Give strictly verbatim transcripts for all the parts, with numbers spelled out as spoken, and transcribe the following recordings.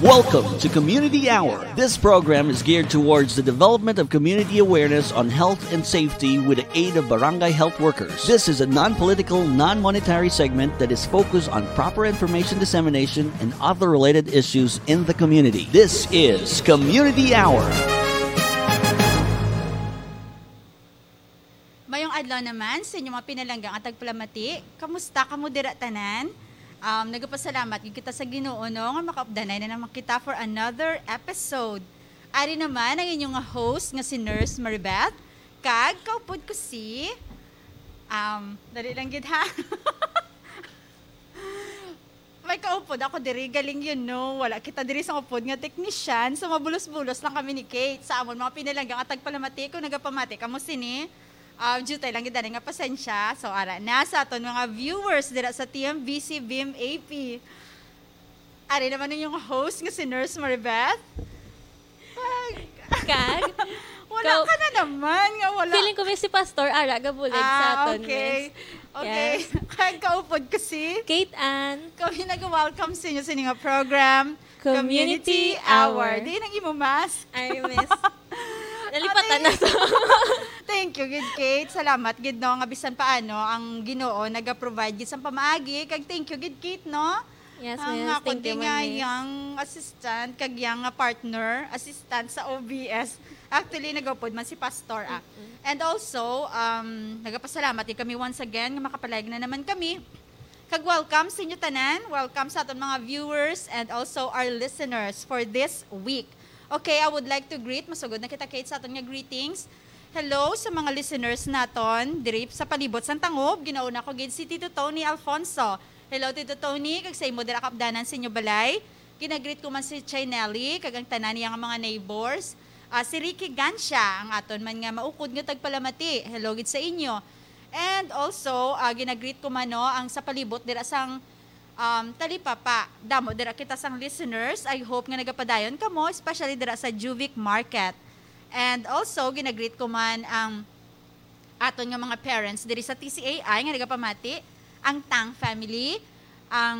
Welcome to Community Hour. This program is geared towards the development of community awareness on health and safety with the aid of barangay health workers. This is a non-political, non-monetary segment that is focused on proper information dissemination and other related issues in the community. This is Community Hour. Mayong adlaw naman sa inyo mga pinalangga nga tagpalamati. Kamusta kamo dira tanan? Um, nagapasalamat gid kita sa Ginoo, no, nga makaupdanay na naman kita for another episode. Ari naman ang inyong nga host nga si Nurse Maribeth, kag kaupod ko si, um, dali lang gid, ha. May kaupod ako diri, galing, you know. Wala kita diri sa upod nga teknisyan, so mabulos-bulos lang kami ni Kate. Sa amon mga pinalangga nga tagpalamati, kung nagapamati kamo sini, ah, jutay lang gid ani nga pasensya. So, ara na sa aton mga viewers dira sa T M V C Beam A P. Ari naman ang inyong host nga si Nurse Maribeth. Ay, Kag, wala Ikaw- ka na naman nga wala. Feeling ko may si Pastor Ara gabulig sa Ah, aton, okay. Miss. Okay. Yes. Kag kaupod ko si Kate Ann, kami nag-welcome sa inyo sa inyong program, Community Hour. Di nang imo mask. Ay, Miss. Nalipatan Ate, na to. Thank you, gid Kate. Salamat, gid, no, nga bisan paano ang Ginoo naga-provide gid sa pamaagi. Kag thank you, gid Kate, no? Yes, Ang Miss. ako Thank di you, nga Ma'am, Miss. yung assistant, kag yung nga partner, assistant sa O B S. Actually, nagupod man si Pastor, ah. And also, um, nagapasalamat din kami once again nga makapalayag na naman kami. Kag welcome sa inyo tanan. Welcome sa aton mga viewers and also our listeners for this week. Okay, I would like to greet, masugod na kita, Kate, sa aton nga greetings. Hello sa mga listeners naton diri sa palibot sang Tangub. Ginauna ko gid si Tito Tony Alfonso. Hello, Tito Tony, kag sa imo dira kaupdanan sa inyo balay. Ginagreet ko man si Chay Nelly kag ang tanan niya nga mga neighbors. Ah, si Ricky Gancia, ang aton man nga maukod nga tagpalamati. Hello gid sa inyo. And also, ah, ginagreet ko man, no, ang sa palibot dira sang, um, talipapa. Damo dira kita sang listeners. I hope nga nagapadayon kamo, especially dira sa Juvic Market. And also, ginagreet ko man ang aton nga mga parents diri sa T C A I nga nagapamati, ang Tang family, ang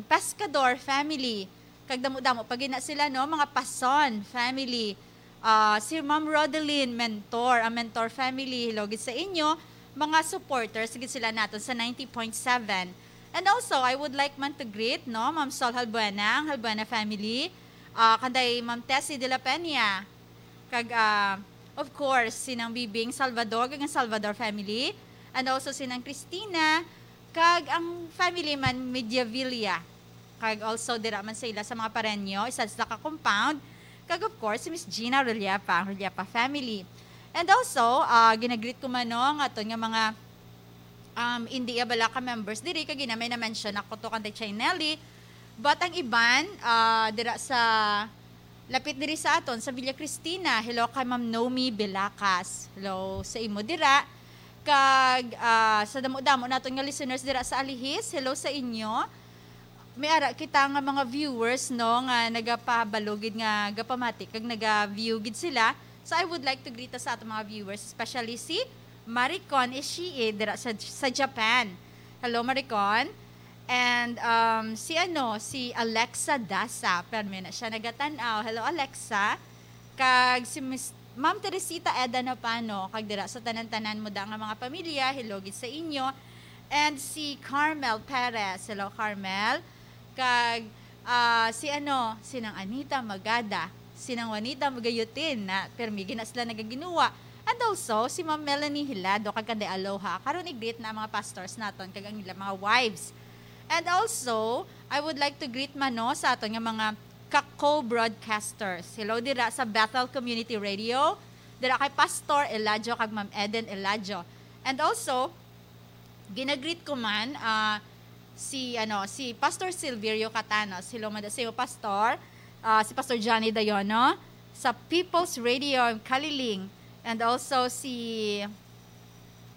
Pescador family, kag damo-damo pa gid na sila, no, mga Pason family, ah, si Ma'am Rodeline Mentor, ang Mentor family, hello gid sa inyo, mga supporters gid sila naton sa ninety point seven. And also, I would like man to greet, no, Ma'am Sol Halbuena, ang Halbuena family, ah, kanday Ma'am Tessie de la Peña, kag, ah, of course, sinang Bibing Salvador, kag ang Salvador family, and also sinang Christina, kag ang family man Mediavilla, kag also dira man sa ila sa mga parenyo, isa sila ka compound, kag of course, si Miss Gina Rellepa, ang Rellepa family. And also, ah, ginagreet ko man, no, ang aton nga mga, um, India Balaka members diri, kag ina may na-mention ako to kanday Chay Nelly. But ang iban, ah, dira sa lapit diri sa aton sa Villa Cristina, hello kay Ma'am Nomi Belacas. Hello sa imo dira. Kag, ah, sa damo-damo naton nga listeners dira sa Alihis, hello sa inyo. May ara kita nga mga viewers, no, nga nagapabalugid nga gapamati kag naga-view gid sila. So I would like to greet sa aton mga viewers, especially si Maricon Ishii dira sa, sa Japan. Hello, Maricon. And, um, si ano, si Alexa Dasa. Permi na siya nagatan-aw. Hello, Alexa. Kag si Miss, Ma'am Teresita Eda Napano. Kag dira sa tanan-tanan mo da nga mga pamilya, hello gid sa inyo. And si Carmel Perez. Hello, Carmel. Kag, ah, si ano, sinang Anita Magada, sinang Juanita Magayutin na permi gid na sila nagaginuwa. And also, si Ma'am Melanie Hilado kag kanday Aloha. Karon i-greet na ang mga pastors naton kag ang ilang mga wives. And also, I would like to greet man, no, sa aton nga mga ka-co-broadcasters. Hello dira sa Bethel Community Radio, dira kay Pastor Eladio kag Ma'am Eden Eladio. And also, ginagreet ko man, ah, si, ano, si Pastor Silverio Catanos. Hello man da sa iyo, Pastor. Ah, si Pastor Johnny Dayono sa People's Radio Kaliling. And also si,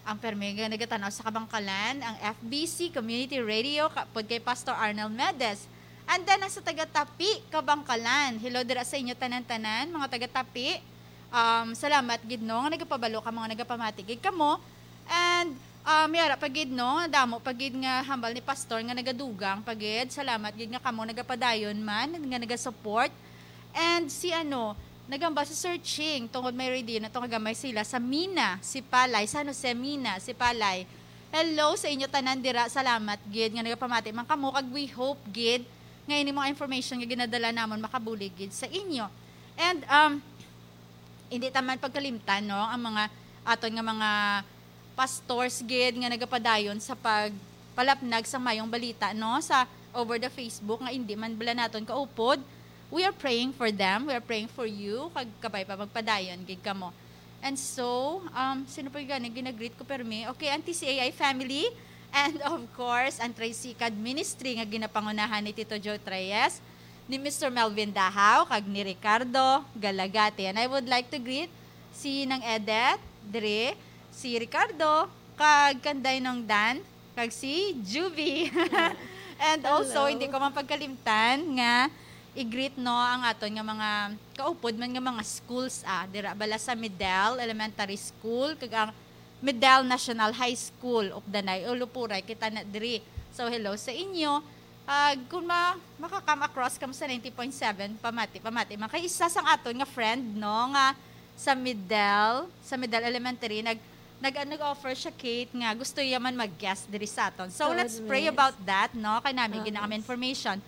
ang permi nga nagatan-aw sa Kabangkalan, ang F B C Community Radio, kaupod kay Pastor Arnel Medes. And then, ang sa taga Tapi, Kabangkalan. Hello dira sa inyo tanan-tanan, mga taga Tapi. Um, salamat gid, no, nga nagapabalo ka, mga nagapamati gid kamo. And Ah, may ara pa gid, no? Damo pa gid nga hambal ni Pastor nga nagadugang pa gid. Salamat gid nga kamo nagapadayon man, nga nagasupport. And si ano, nagambal sa searching tungod may ready na to nga gamay sila sa Mina, si Palay, San Jose, Mina, si Palay. Hello sa inyo tanan dira. Salamat gid nga nagapamati man kamo, kag we hope gid nga ini mga information nga ginadala namon makabulig gid sa inyo. And, um, hindi ta man pagkalimtan, no, ang mga aton nga mga pastors gid nga nagapadayon sa pagpalapnag sa mayong balita, no, sa over the Facebook nga hindi man bala naton kaupod. We are praying for them. We are praying for you. Kag kabay pa magpadayon gid kamo. And so, um, sino pa gani ginagreet ko permi? Okay, ang T C A I family. And of course, ang Tricycad Ministry nga ginapangunahan ni Tito Joe Treyes, ni Mister Melvin Dahaw, kag ni Ricardo Galagate. And I would like to greet si Nang Edith, Dre, si Ricardo, kag Kanday Nong Dan, kag si Juvie. And also, Hello. Hindi ko man pagkalimtan nga i-greet, no, ang aton nga mga kaupod man nga mga schools, ah, dira bala sa Middle Elementary School kag ang Middle National High School, Updanay, Ulupuray, kita na diri. So, hello sa inyo. Ah, kung ma makakam across kamo sa ninety point seven, pamati, pamati man. Kay isa sang aton nga friend, no, nga sa Middle, sa Middle Elementary, nag, nag, nag-offer siya, Kate, nga gusto iya man mag-guest diri sa aton. So, Tuod, let's pray miss. About that, no? Kay nami Ah, gid ang miss. Information.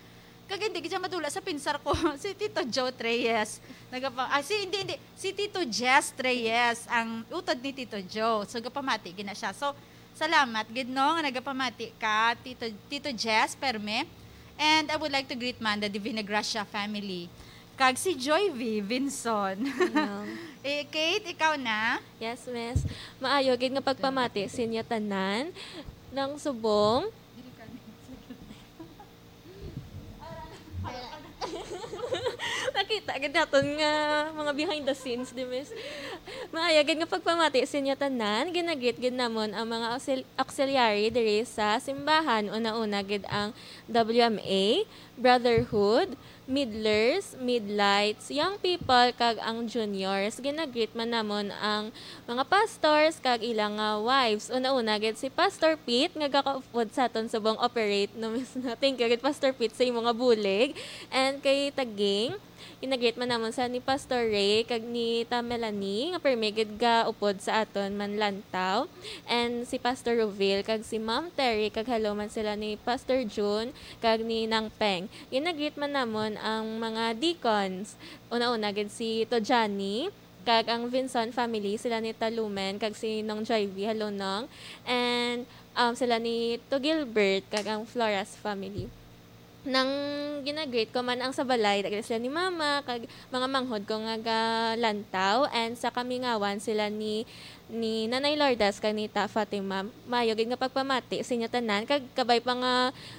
Kag hindi gid siya madula sa pinsar ko, si Tito Joe Treyes. Nagapa, ah, si, hindi, hindi. Si Tito Jess Treyes, ang utod ni Tito Joe. So, gapamati gid na siya. So, salamat gid, no, nga nagapamati ka, Tito, Tito Jess Perme. And I would like to greet man the Divina Gracia family. Kag si Joy V Vinson. Hello. Eh, Kate, ikaw na? Yes, miss. Maayo gid nga pagpamati sa inyo tanan. Nang subong. Nakita gid naton nga mga behind the scenes, di, miss? Maayo gid nga pagpamati sa inyo tanan. Ginagreet gid namon ang mga auxil- auxiliary diri sa simbahan. Una-una gid ang W M A, Brotherhood, Middlers, Midlights, Young People, kag ang Juniors. Ginagreet man namon ang mga pastors kag ila nga wives. Una-una gid si Pastor Pete nga gakaupod sa aton subong operate, no, miss, no? Thank you gid, Pastor Pete, sa imo nga bulig. And kay Taging, ginagreet man namon sa ni Pastor Ray kag ni Ta Melanie nga permi gid gaupod sa aton man lantaw. And si Pastor Rovil kag si Ma'am Terry, kag hello man sila ni Pastor June kag ni Nang Peng. Ginagreet man namon ang mga deacons. Una-una gid si Tojani, kag ang Vinson family, sila ni Talumen, kag si Nong Joy V, hello, Nong. And, um, sila ni To Gilbert, kag ang Flores family. Nang ginagreet ko man ang sa balay, daghan sila ni Mama, kag mga manghod ko nga galantaw, and sa Kamingawan sila ni, ni Nanay Lourdes, kag ni Ta Fatima. Maayo gid nga pagpamati sa inyo tanan, kag kabay pa nga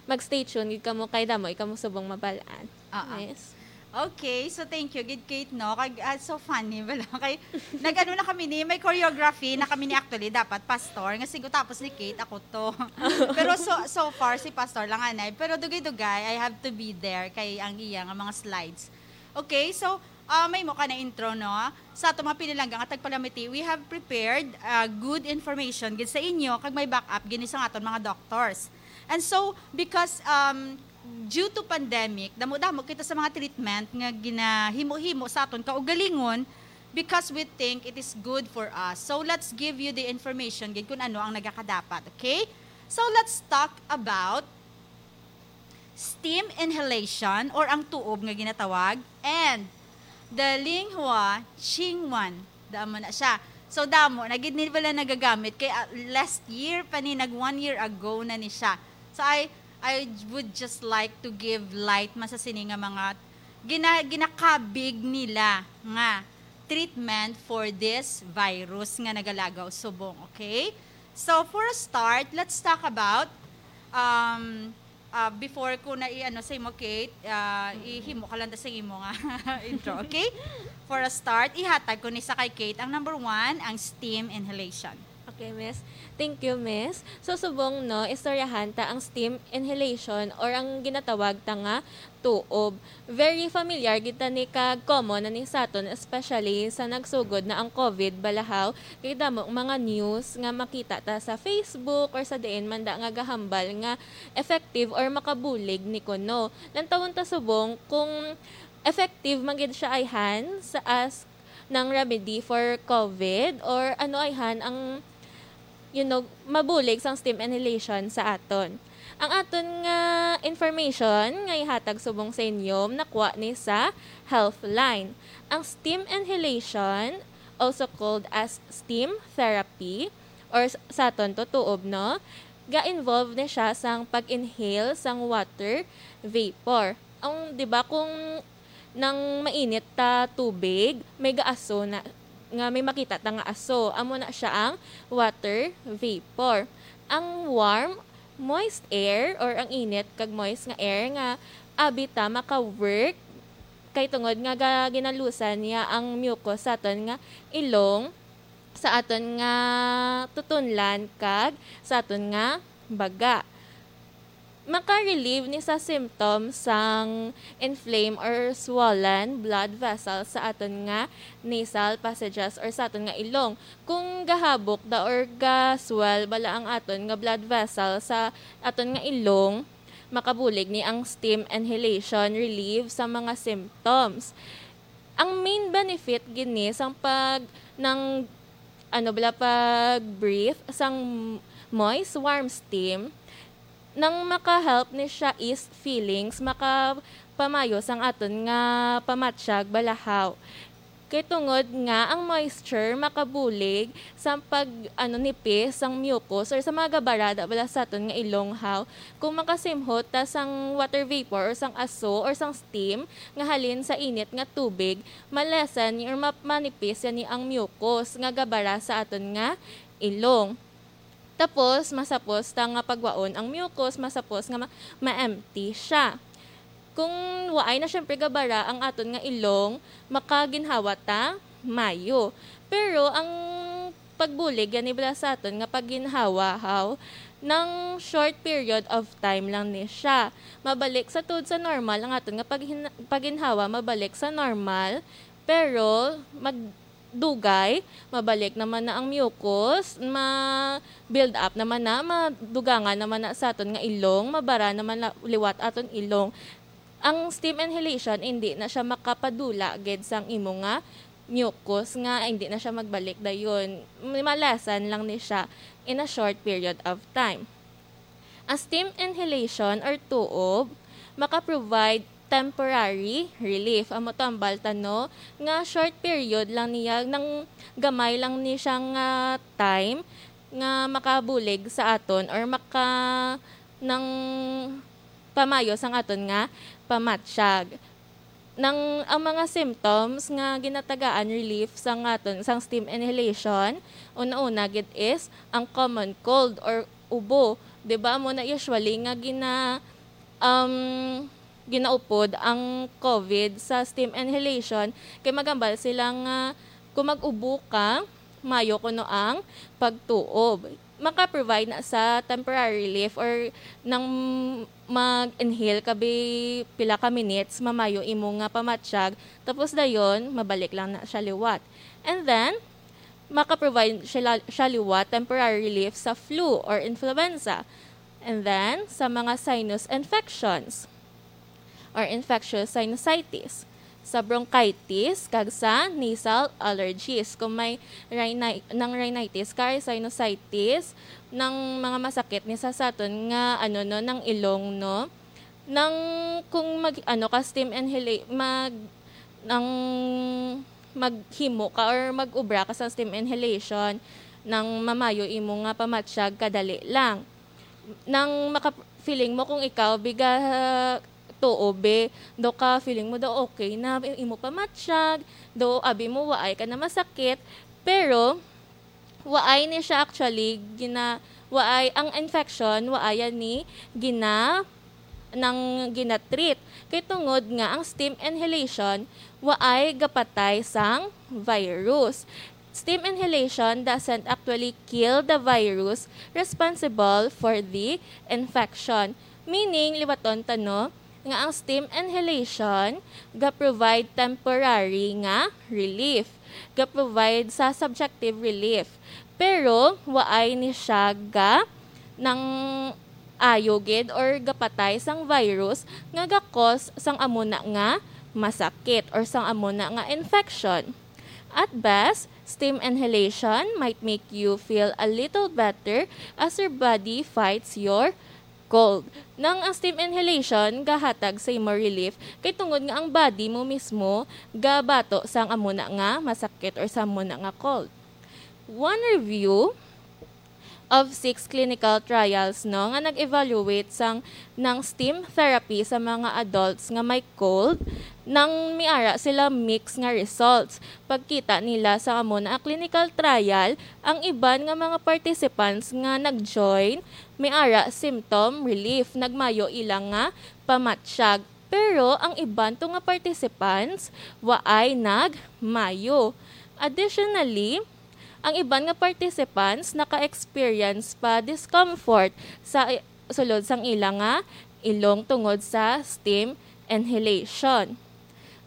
mag-stay tuned gid kamo kay damo kamo subong mabal-an. Ah, ah. Yes. Okay, so thank you gid, Kate, no? Kag, ah, so funny bala. Kay, nag-ano na kami ni, may choreography na kami ni, actually, dapat pastor, nga sigo tapos ni Kate, ako to. Pero so, so far, si pastor lang, anay. Pero dugay-dugay, I have to be there kay ang iya nga mga slides. Okay, so, ah, may mo ka na intro, no? Sa ato mga pinilangga nga tagpalamiti, we have prepared, ah, good information gid sa inyo, kag may backup gini sa aton mga doctors. And so, because, um, due to pandemic, damo-damo kita sa mga treatment nga ginahimo-himo sa aton kaugalingon because we think it is good for us. So, let's give you the information gid kung ano ang nagakadapat, okay? So, let's talk about steam inhalation or ang tuob nga ginatawag, and the Linghua Qingwan. Damo na siya. So, damo na gid ni bala nagagamit kay, ah, last year pa ni, nag one year ago na ni siya. So, I I would just like to give light man sa sini nga mga gina, ginakabig nila nga treatment for this virus nga nagalagaw subong, okay? So, for a start, let's talk about, um, ah, before ko na i-ano sa imo, Kate, ah, ihimo ka lang ta sa imo nga intro, okay? For a start, ihatag ko ni sa kay Kate ang number one, ang steam inhalation. Okay, miss. Thank you, miss. So, subong, no, istoryahan ta ang steam inhalation or ang ginatawag ta nga tuob. Very familiar gid ta ni kag common na ni saton, especially sa nagsugod na ang COVID balahaw. Kay damo ang mga news nga makita ta sa Facebook or sa diin man da nga gahambal nga effective or makabulig ni kuno. Lantawon ta subong kung effective man gid siya ayhan sa as ng remedy for COVID or ano ayhan ang, you know, mabulig sang steam inhalation sa aton. Ang aton nga information nga ihatag subong sa inyo nakuha ni sa Healthline. Ang steam inhalation, also called as steam therapy, or s- sa aton to tuob, no? Ga-involve ni siya sang pag-inhale sang water vapor. Ang, di ba, kung nang mainit ta tubig, may gaaso na, nga may makita ta nga aso. Amo na siya ang water vapor. Ang warm, moist air or ang init kag moist nga air nga abi ta maka-work kay tungod nga ga-, ginalusan niya ang mucus sa aton nga ilong, sa aton nga tutunlan kag sa aton nga baga. Maka-relieve ni sa symptoms sang inflame or swollen blood vessels sa aton nga nasal passages or sa aton nga ilong. Kung gahabok da or ga-swell bala ang aton nga blood vessel sa aton nga ilong, makabulig ni ang steam inhalation relieve sa mga symptoms. Ang main benefit gid ni sang pag, nang, ano bala, pag-breathe sang moist, warm steam, nang maka-help ni siya ease feelings, makapamayo sang aton nga pamatyag balahaw. Kay tungod nga ang moisture makabulig sa pag, ano, nipis sang mucus or sa mga gabarada bala sa aton nga ilong, haw. Kung makasimhot ta sang water vapor or sang aso or sang steam nga halin sa init nga tubig, ma-lessen or ma-, manipis yani ang mucus nga gabara sa aton nga ilong. Tapos, masapos ta nga pagwaon ang mucus, masapos nga ma-, ma-empty siya. Kung waay na, syempre, gabara ang aton nga ilong, makaginhawa ta mayo. Pero ang pagbulig gani bala sa aton nga pagginhawa, haw, nang short period of time lang ni siya. Mabalik sa tuod sa normal ang aton nga paghin-, pagginhawa, mabalik sa normal, pero mag-, dugay, mabalik naman na ang mucus, ma-build up naman na, madugangan naman na sa aton nga ilong, mabara naman na liwat aton ilong. Ang steam inhalation, hindi na siya makapadula gid sang imo nga mucus nga hindi na siya magbalik dayon. Malasan lang ni siya in a short period of time. Ang steam inhalation or tuob maka-provide temporary relief. Amo to ang balta, no, nga short period lang niya, nang gamay lang ni siya nga time nga makabulig sa aton or maka-, nang pamayo sang aton nga pamatyag. Nang ang mga symptoms nga ginatagaan relief sang aton, sang steam inhalation, una-una gid is ang common cold or ubo. Di ba, amo na usually nga gina-, um, ginaupod ang COVID sa steam inhalation, kay magambal sila nga kung mag-ubo ka, mayo kuno ang pagtuob. Maka-provide na sa temporary relief or nang mag-inhale ka bi-, pila ka minutes, mamayo imo nga pamatyag, tapos dayon, mabalik lang na siya liwat. And then, maka-provide siya, siya liwat temporary relief sa flu or influenza. And then, sa mga sinus infections or infectious sinusitis, sa bronchitis, kag sa nasal allergies. Kung may rhini-, nang rhinitis ka or sinusitis, nang mga masakit ni sa saton nga, ano, no, nang ilong, no, nang kung mag, ano ka, steam inhala-, mag, nang maghimo ka or mag-ubra ka sa steam inhalation, nang mamayo imo nga pamatyag kadali lang. Nang maka-, feeling mo kung ikaw, biga, tuo, be, daw ka, feeling mo daw okay na, imo pamatyag, daw abi mo, waay ka na masakit, pero, waay ni siya actually gina-, waay ang infection, waay ni gina-, nang gina-treat. Kay tungod nga ang steam inhalation waay gapatay sang virus. Steam inhalation doesn't actually kill the virus responsible for the infection. Meaning, liwaton ta, no, nga ang steam inhalation ga-provide temporary nga relief. Ga-provide sa subjective relief. Pero, waay ni siya ga nang ayo gid or gapatay sang virus nga ga-cause sang amo na nga masakit or sang amo na nga infection. At best, steam inhalation might make you feel a little better as your body fights your cold. Nang ang steam inhalation gahatag sa imo relief kay tungod nga ang body mo mismo gabato sang amo na nga masakit or sa amo na nga cold. One review of six clinical trials, no, nga nag-evaluate sang nang steam therapy sa mga adults nga may cold, nang miara sila mix nga results. Pagkita nila sa amo na clinical trial, ang iban nga mga participants nga nag-join, miara symptom relief, nagmayo ila nga pamatyag. Pero ang iban to nga participants waay nagmayo. Additionally, ang iban nga participants naka-experience pa discomfort sa i-, sulod sang ila nga ilong tungod sa steam inhalation.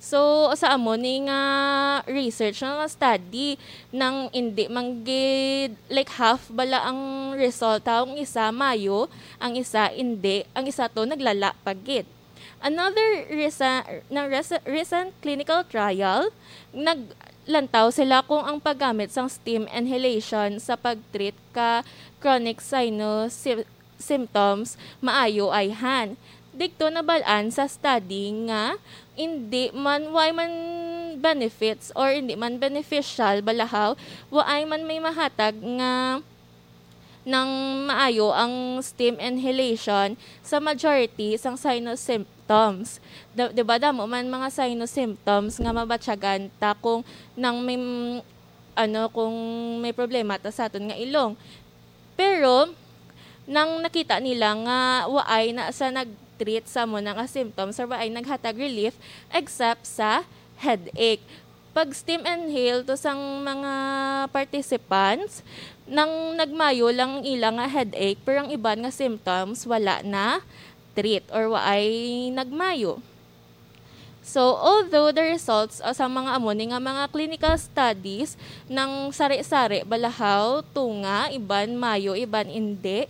So, sa amo ni nga research nga study, nang indi man gid, like, half bala ang resulta, ang isa mayo, ang isa indi, ang isa to naglala pa gid. Another resa-, na resa-, recent clinical trial, naglantaw sila kung ang paggamit sang steam inhalation sa pag-treat ka chronic sinus sy-, symptoms maayo ayhan. Digto nabal-an sa study nga indi man, waay man benefits or indi man beneficial balahaw, waay man may mahatag nga nang maayo ang steam inhalation sa majority sang sinus symptoms. Da-, di ba, damo man mga sinus symptoms nga mabatyagan ta kung nang may, ano, kung may problema ta sa aton nga ilong. Pero, nang nakita nila nga waay na sa nag-treat sa amo na nga symptoms or waay naghatag relief except sa headache. Pag steam inhale to sang mga participants, nang nagmayo lang ang ila nga headache, pero ang iban nga symptoms wala na treat or waay nagmayo. So, although the results, uh, sa mga amo ni nga mga clinical studies nang sari-sari balahaw, tunga, iban mayo, iban indi,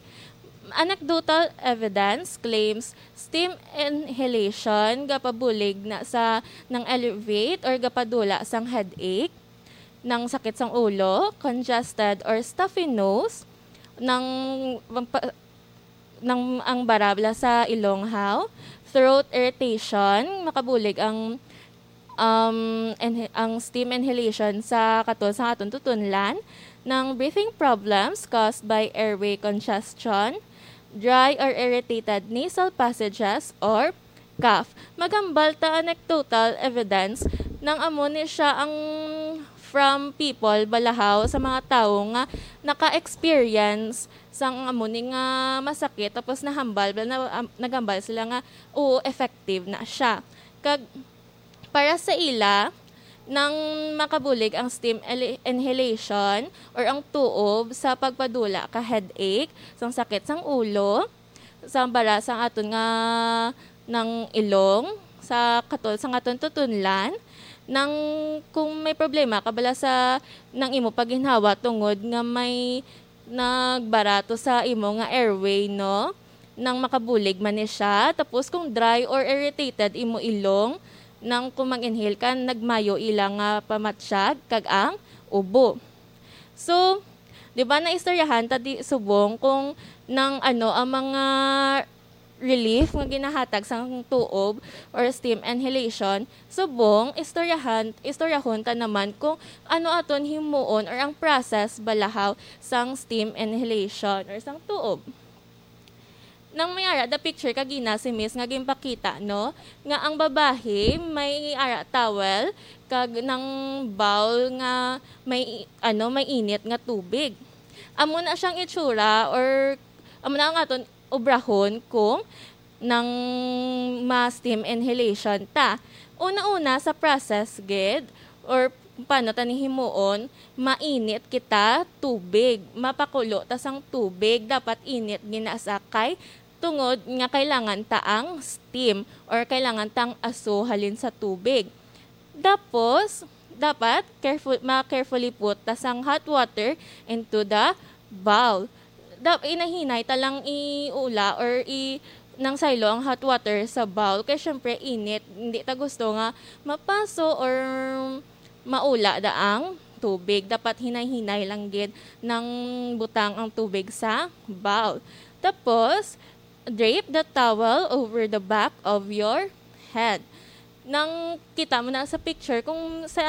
anecdotal evidence claims steam inhalation gapabulig na sa nang elevate or gapadula sang headache, nang sakit sang ulo, congested or stuffy nose, nang pa-, nang ang barabla sa ilonghaw, throat irritation, makabulig ang, um, inha-, ang steam inhalation sa katul sang aton tutunlan, nang breathing problems caused by airway congestion, dry or irritated nasal passages, or cough. Maghambal ta anecdotal evidence nang amo ni siya ang from people balahaw sa mga tawo nga naka-experience sang amo ni nga masakit, tapos nahambal, na, am, naghambal sila nga, oo, effective na siya. Kag para sa ila, nang makabulig ang steam ele-, inhalation or ang tuob sa pagpadula ka headache, sang sakit sang ulo, sa bara sang aton nga nang ilong, sa katul sang aton tutunlan, nang kung may problema ka bala sa nang imo pagginhawa tungod nga may nagbarato sa imo nga airway, no? Nang makabulig man ni siya. Tapos kung dry or irritated imo ilong, nang kung mag-inhale ka, nagmayo ila nga pamatyag kag ang ubo. So, di ba, naistoryahan ta di subong kung nang ano ang mga relief nga ginahatag sang tuob or steam inhalation, subong istoryahan, istoryahon ta naman kung ano aton himuon or ang process balahaw sang steam inhalation or sang tuob. Nang may ara the picture kagina si Miss nga ginpakita, no, nga ang babayi may ara towel kag nang bowl nga may, ano, may init nga tubig. Amo na siyang itsura or amo na ang aton obrahon kung nang ma-steam inhalation ta. Una-una sa process gid or Paano ta ni himuon? Mainit kita tubig. Mapakulo ta sang tubig. Dapat init ginasa kay tungod nga kailangan ta ang steam or kailangan ta ang aso halin sa tubig. Tapos, dapat careful, ma-carefully put ta sang hot water into the bowl. Dap-, inahinay ta lang iula or i-, nang saylo ang hot water sa bowl. Kay syempre, init. Hindi ta gusto nga mapaso or maula da ang tubig. Dapat hinay-hinay lang gid nang butang ang tubig sa bowl. Tapos, drape the towel over the back of your head. Nang kita mo na sa picture, kung sa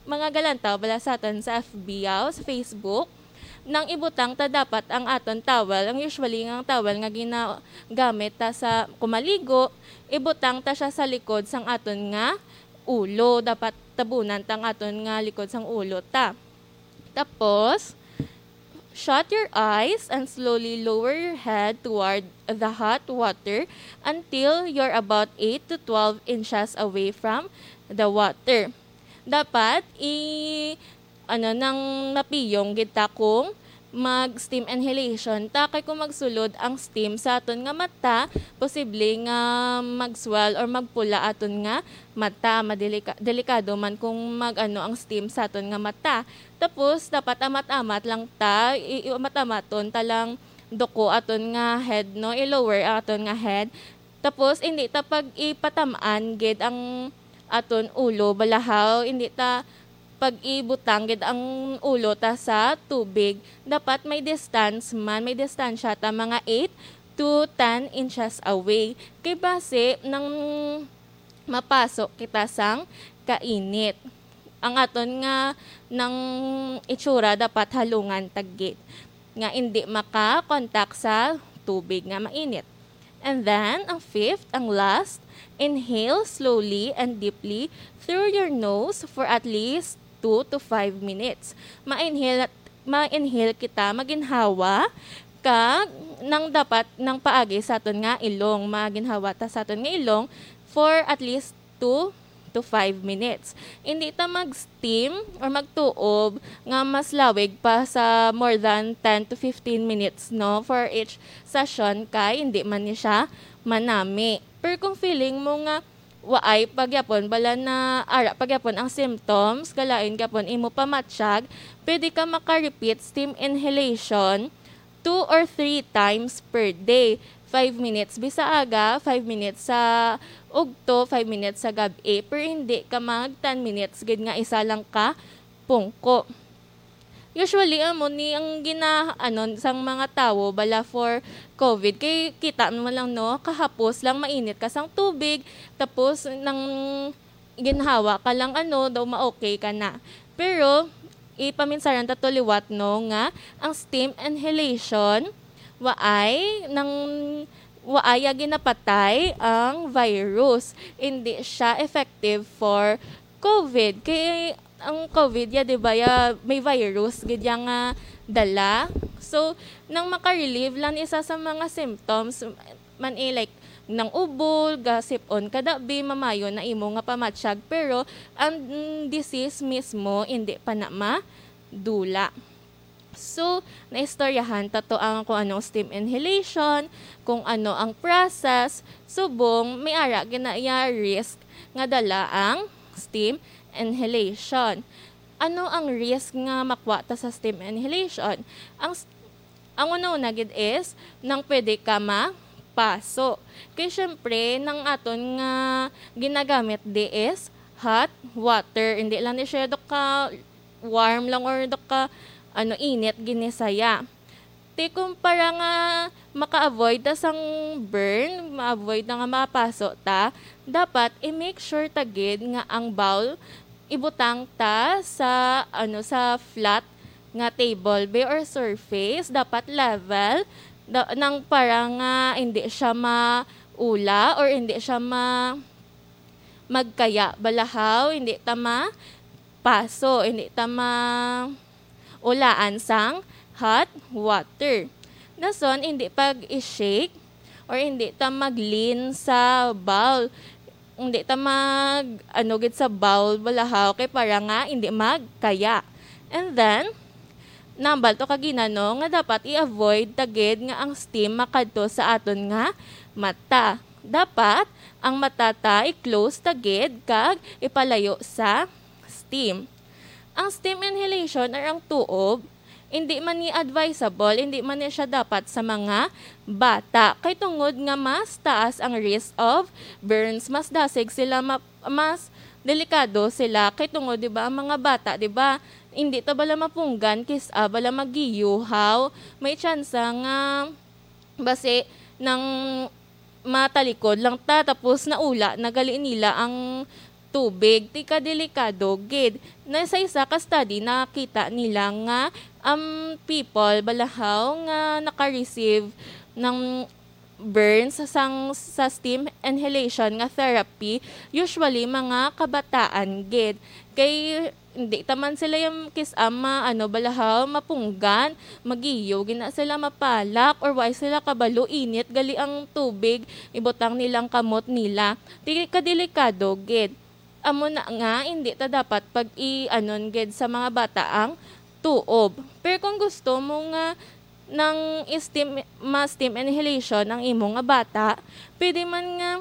mga galantaw, bala sa aton sa F B yaw, sa Facebook, nang ibutang ta dapat ang aton towel, ang usually nga towel nga ginagamit ta sa kumaligo, ibutang ta siya sa likod sang aton nga ulo. Dapat tabunan ta ang aton nga likod sang ulo ta. Tapos, shut your eyes and slowly lower your head toward the hot water until you're about eight to twelve inches away from the water. Dapat i-, ano, nang mapiyong gid ta kung mag-steam inhalation ta, kay kung magsulod ang steam sa aton nga mata, posible nga mag-swell or magpula aton nga mata. Madelika-, delikado man kung mag-ano ang steam sa aton nga mata. Tapos, dapat amat-amat lang ta, i-, i-amat-amaton ta lang duko aton nga head, no? I-lower ang aton nga head. Tapos, hindi ta pag-ipatam-an gid ang aton ulo, balahaw, hindi ta pag-ibutang gid ang ulo ta sa tubig. Dapat may distance man, may distansya ta, mga eight to ten inches away. Kay basi nang mapaso kita sang kainit. Ang aton nga nang itsura dapat halungan ta gid nga indi maka-contact sa tubig nga mainit. And then, ang fifth, ang last, inhale slowly and deeply through your nose for at least two to five minutes. Ma-inhale, ma-inhale kita, maginhawa, kag nang dapat nang paagi sa aton nga ilong, maginhawa ta sa aton nga ilong for at least two to five minutes. Hindi ta mag-steam or magtuob nga mas lawig pa sa more than ten to fifteen minutes, no, for each session, kay hindi man ni siya manami. Pero kung feeling mo nga waay pa gyapon, bala na ara pa gyapon ang symptoms, kalain gyapon imo pamatyag, pwede ka maka-repeat steam inhalation two or three times per day. Five minutes bisag aga, five minutes sa ugto, five minutes sa gab-i, pero hindi ka mag ten minutes gid nga isa lang ka pungko. Usually, amo ni ang gina-, ano, sang mga tawo bala for covid. Kay kita mo lang, no, kahapos lang mainit ka sang tubig, tapos nang ginhawa ka lang, ano, daw ma-okay ka na. Pero, ipaminsaran ta to liwat, no, nga ang steam inhalation, waay nang, waay ya ginapatay ang virus. Hindi siya effective for covid. Kay ang covid ya, di ba, ya, may virus gid ya nga dala. So, nang makarelieve lang isa sa mga symptoms, man, eh, like, nang ubol, gasip-on ka dabi, mamayo na imo nga pamatyag, pero ang, mm, disease mismo hindi pa na madula. So, naistoryahan ta to ang kung anong steam inhalation, kung ano ang process, subong may ara gid na iya risk nga dala ang steam inhalation. Ano ang risk nga makwa ta sa steam inhalation? Ang s-, ang una-una gid is nang pwede ka mapaso. Kay syempre, nang aton nga ginagamit di is hot water. Hindi lang ni siya do ka warm lang or do ka, ano, init gid ni saya. Ti kung para nga maka-avoid ta sang burn, ma-avoid na nga mapaso ta, dapat i-make sure ta gid nga ang bowl ibutang ta sa, ano, sa flat nga table be or surface, dapat level, da-, nang para nga hindi siya maula or hindi siya ma-, magkaya balahaw, hindi ta mapaso, hindi ta ma-, ulaan sang hot water. Dason, hindi pag-i-shake or hindi ta mag-lean sa bowl. hindi ta mag, ano, gid sa bowl, balahaw, kay para nga hindi magkaya. And then, nambal to kagina, no, nga dapat i-avoid ta gid nga ang steam makadto sa aton nga mata. Dapat ang mata ta i-close ta gid kag ipalayo sa steam. Ang steam inhalation or ang tuob, hindi man ni advisable, hindi man ni siya dapat sa mga bata. Kay tungod nga mas taas ang risk of burns, mas dasig sila ma-, mas delikado sila. Kay tungod, di ba, ang mga bata, di ba, hindi ta bala mapunggan, kis-a bala magiyuhaw. May tsansa nga basi nang matalikod lang ta, tapos naula na gali nila ang tubig. Ti kadelikado gid. Na sa isa ka study, nakita nila nga ang people balahaw nga naka-receive ng burns sang, sa steam inhalation nga therapy, usually mga kabataan gid. Kay hindi ta man sila yung kis-a ma-, ano, balahaw, mapunggan, magiyo gina sila, mapalak, or wa sila kabalo, init gali ang tubig, ibutang nilang kamot nila. Ti kadelikado gid. Amo na nga, hindi ta dapat pag-i-anon gid sa mga bata ang tuob. Pero kung gusto mo nga nang steam, ma-steam inhalation ang imo nga bata, pwede man nga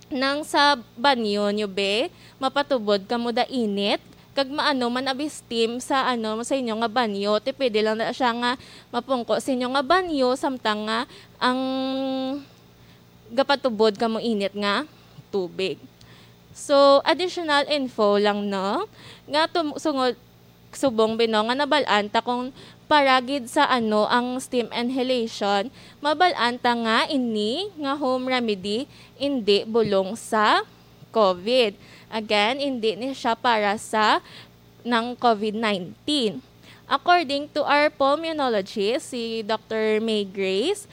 nang sa banyo nyo, be, mapatubod kamo da init, kag maano man abi steam sa, ano, sa inyo nga banyo, ti pwede lang na siya nga mapungko sa inyo nga banyo, samtang nga ang gapatubod kamo init nga tubig. So, additional info lang, no, nga tum-, sungod, subong bino nga nabal-an ta kung para gid sa ano ang steam inhalation, mabal-an ta nga ini nga home remedy indi bulong sa covid. Again, indi ni siya para sa ng covid nineteen. According to our pulmonologist, si Doctor May Grace,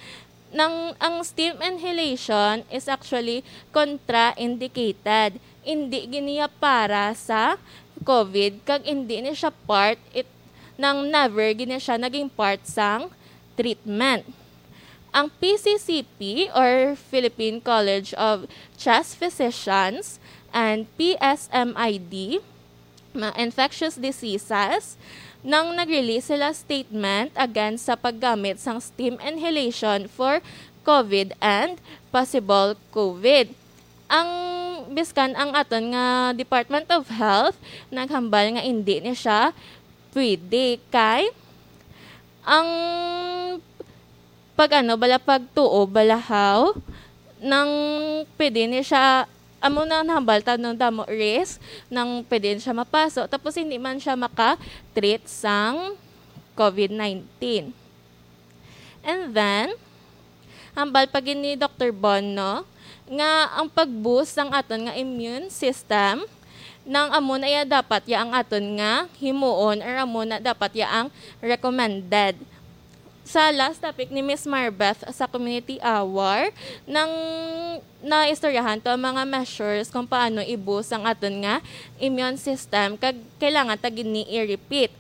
nang ang steam inhalation is actually contraindicated. Hindi gini para sa covid, kag hindi ni siya part it, nang never gini siya naging part sang treatment. Ang P C C P or Philippine College of Chest Physicians and P S M I D, ma-, infectious diseases, nang nag-release sila statement against sa paggamit sang steam inhalation for covid and possible covid. Ang, biskan ang aton nga Department of Health naghambal nga indi ni siya pwede kay ang pag-ano bala, pagtuo balahaw nang pwede ni siya, amo na nahambal ta, no, damo risk nang pwede ni siya mapaso, tapos hindi man siya maka-treat sang covid nineteen. And then, hambal pa gid ni Doctor Bon, no, nga ang pag-boost sang aton nga immune system nang amo na iya dapat ya ang aton nga himuon, or amo na dapat ya ang recommended. Sa last topic ni Miss Marbeth sa community hour, nang naistoryahan to ang mga measures kung paano i-boost ang aton nga immune system, kag kailangan ta gid ni i-repeat.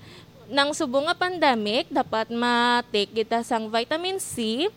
Nang subong nga pandemic, dapat ma-take kita sang vitamin C,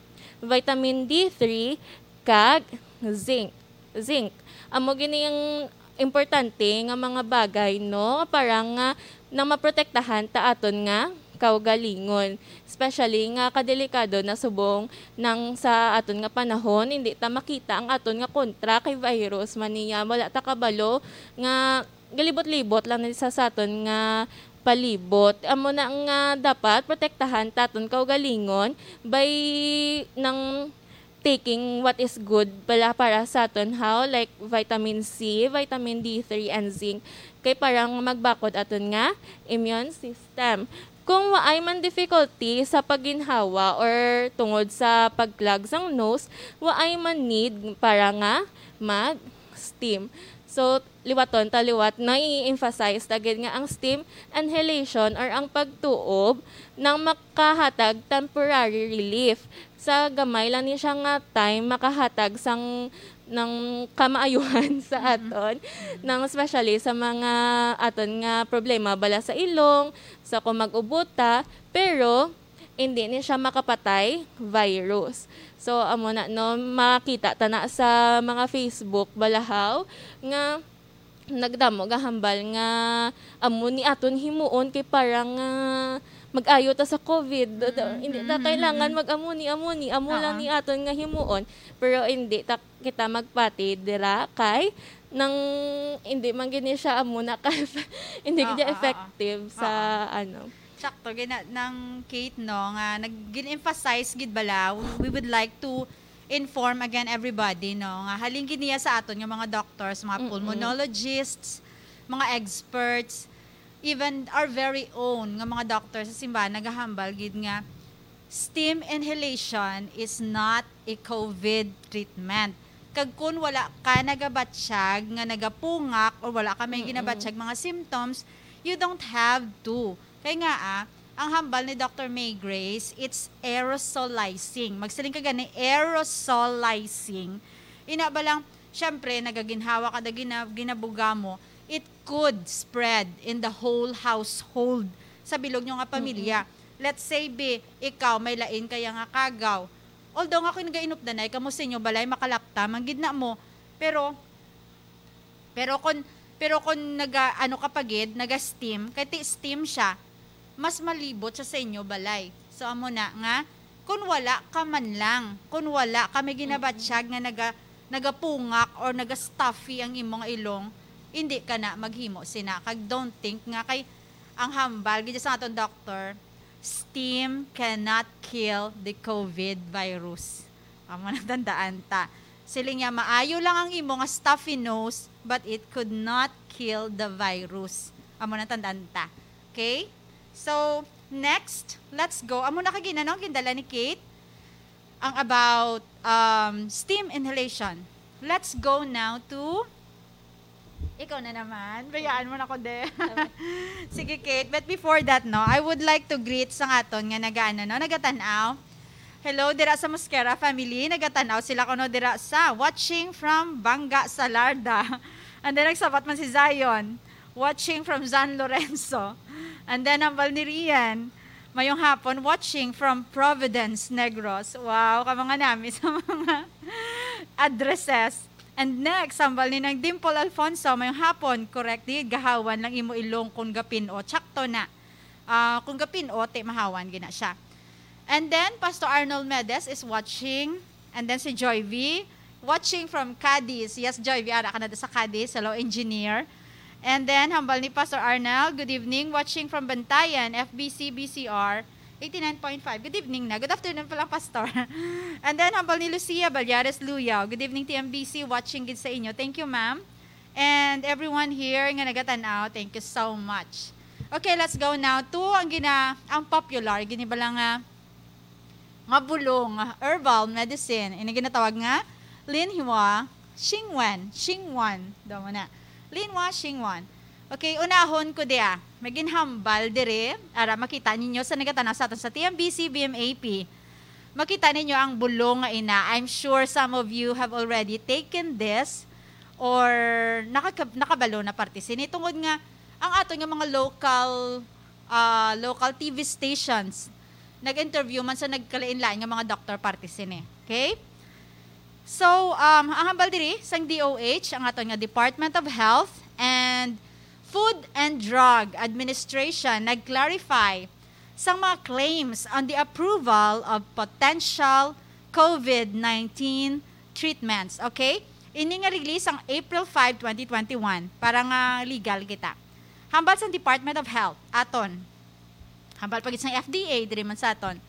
vitamin D three, kag zinc. Zinc. Amo gini ang importante nga mga bagay, no? Para nga nang maprotektahan ta aton nga kaugalingon. Especially nga kadelikado na subong nang sa aton nga panahon, hindi ta makita ang aton nga kontra kay virus man niya. Wala ta kabalo nga galibot-libot lang ni sa, sa aton nga palibot. Amo na nga dapat protektahan ta aton kaugalingon by nang taking what is good pala para sa aton, how, like vitamin C, vitamin D three, and zinc, kay para nga magbakod aton nga immune system. Kung waay man difficulty sa pagginhawa or tungod sa pag-clog sang nose, waay man need para nga mag-steam. So, liwaton ta liwat, no, i-emphasize ta gid nga ang steam inhalation or ang pagtuob nang makahatag temporary relief. Sa gamay lang ni siya nga time, makahatag sang, ng kamaayuhan sa aton, ng especially sa mga aton nga problema bala sa ilong, sa kung mag-ubo ta. Pero, hindi ni siya makapatay virus. So, amo na, no, makita ta na sa mga Facebook balahaw nga nagdamo gahambal nga amo ni aton himuon kay parang, ah, mag-ayo ta sa COVID. Do- do- hindi ta kailangan mag-amo ni, amo ni, amo lang Oo. ni aton nga himuon. Pero hindi ta kita magpati dira kay nang hindi man gid ni siya amo na ka hindi gid Oo, siya oo. effective sa Oo. ano. Sakto, gina-, nang Kate, no, nga nag-, gin-emphasize gid bala, we would like to inform again everybody, no, nga halin gid niya sa aton nga mga doctors, mga Mm-mm. pulmonologists, mga experts, even our very own nga mga doctors sa simbahan nagahambal gid nga steam inhalation is not a COVID treatment. Kag kun wala ka nagabatsyag nga nagapungak or wala ka may Mm-mm. ginabatsyag mga symptoms, you don't have to. Kay nga, ah, ang hambal ni Doctor May Grace, it's aerosolizing. Magsiling ka gani, aerosolizing. Ina ba lang, syempre, nagaginhawa ka, da gina-, ginabuga mo, it could spread in the whole household sa bilog nyo nga pamilya. Mm-mm. Let's say, be, ikaw, may lain kaya nga kagaw. Although nga kung nagainupdanay kamo sa inyo balay, makalapta, manggid na mo. Pero, pero kung, pero kung naga, ano ka pa gid, naga-steam, kay ti steam siya, mas malibot siya sa inyo balay. So, amo na nga, kung wala ka man lang, kung wala ka may ginabatsyag nga naga, nagapungak or naga-stuffy ang imong ilong, hindi ka na maghimo sina. Kag don't think nga kay ang hambal, gid sa aton doctor, steam cannot kill the COVID virus. Amo na tandaan ta. Siling niya, maayo lang ang imo nga stuffy nose, but it could not kill the virus. Amo na tandaan ta. Okay? So, next, let's go. Amo na kagina, no? Gindala ni Kate. Ang about, um, steam inhalation. Let's go now to, ikaw na naman. Bayaan mo na ko, de. Sige, Kate. But before that, no, I would like to greet sa aton nga nagaano, no, nagatan-aw. Hello, dira sa Mosquera family. Nagatan-aw sila kuno dira sa watching from Banga Salarda. And then nagsabat man si Zion, watching from San Lorenzo. And then hambal ni Rian, mayong hapon, watching from Providence, Negros. Wow, ka mga nami sa mga addresses. And next, hambal ni Nang Dimple Alfonso, mayong hapon, correct di, gahawan lang imo ilong kung gapin-o. Tsakto na. Ah, kung gapin-o, ti mahawan gina siya. And then, Pastor Arnold Medes is watching. And then si Joy V, watching from Cadiz. Yes, Joy V, ara ka na sa Cadiz. Hello, engineer. And then, hambal ni Pastor Arnel, "Good evening, watching from Bantayan, F B C B C R, eighty-nine point five." Good evening na. Good afternoon pala, Pastor. And then, hambal ni Lucia Balyares Luyaw, "Good evening, T M B C. Watching gid sa inyo." Thank you, ma'am. And everyone here nga nagatan-aw, thank you so much. Okay, let's go now to ang gina-, ang popular, gini ba lang nga, nga bulong, herbal medicine. Ini ginatawag nga Linhua Xingwen. Xingwen. Daw mo na. Linhua Xingwen. Okay, unahon ko diya. May ginhambal dire. Ara, makita ninyo sa nagatan-aw sa aton sa T M B C, B M A P. Makita ninyo ang bulong nga ina. I'm sure some of you have already taken this or nakaka-, nakabalo na parte sini. Tungod nga, ang aton nga mga local, ah, local T V stations, nag-interview man sa nagkalain-lain nga mga doktor parte sini. Okay? So, um, ang hambal diri sang D O H, ang aton nga Department of Health and Food and Drug Administration, nag-clarify sang mga claims on the approval of potential COVID nineteen treatments. Okay? Ini nga release ang April five, twenty twenty-one, para nga legal kita. Hambal sang Department of Health, aton. Hambal pa gid sang F D A, diri man sa aton.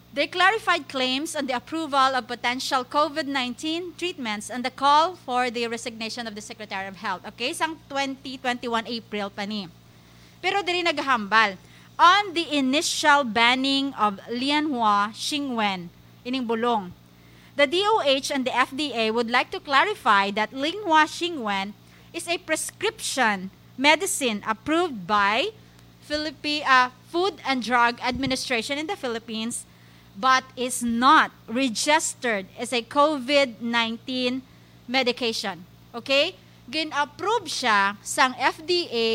They clarified claims on the approval of potential COVID nineteen treatments and the call for the resignation of the Secretary of Health. Okay, sang twenty twenty-one April pa ni. Pero diri nagahambal, on the initial banning of Lianhua Xingwen, ining bulong, the D O H and the F D A would like to clarify that Linhua Xingwen is a prescription medicine approved by Philippi-, uh, Food and Drug Administration in the Philippines, but is not registered as a COVID nineteen medication. Okay? Gin-approve siya sang F D A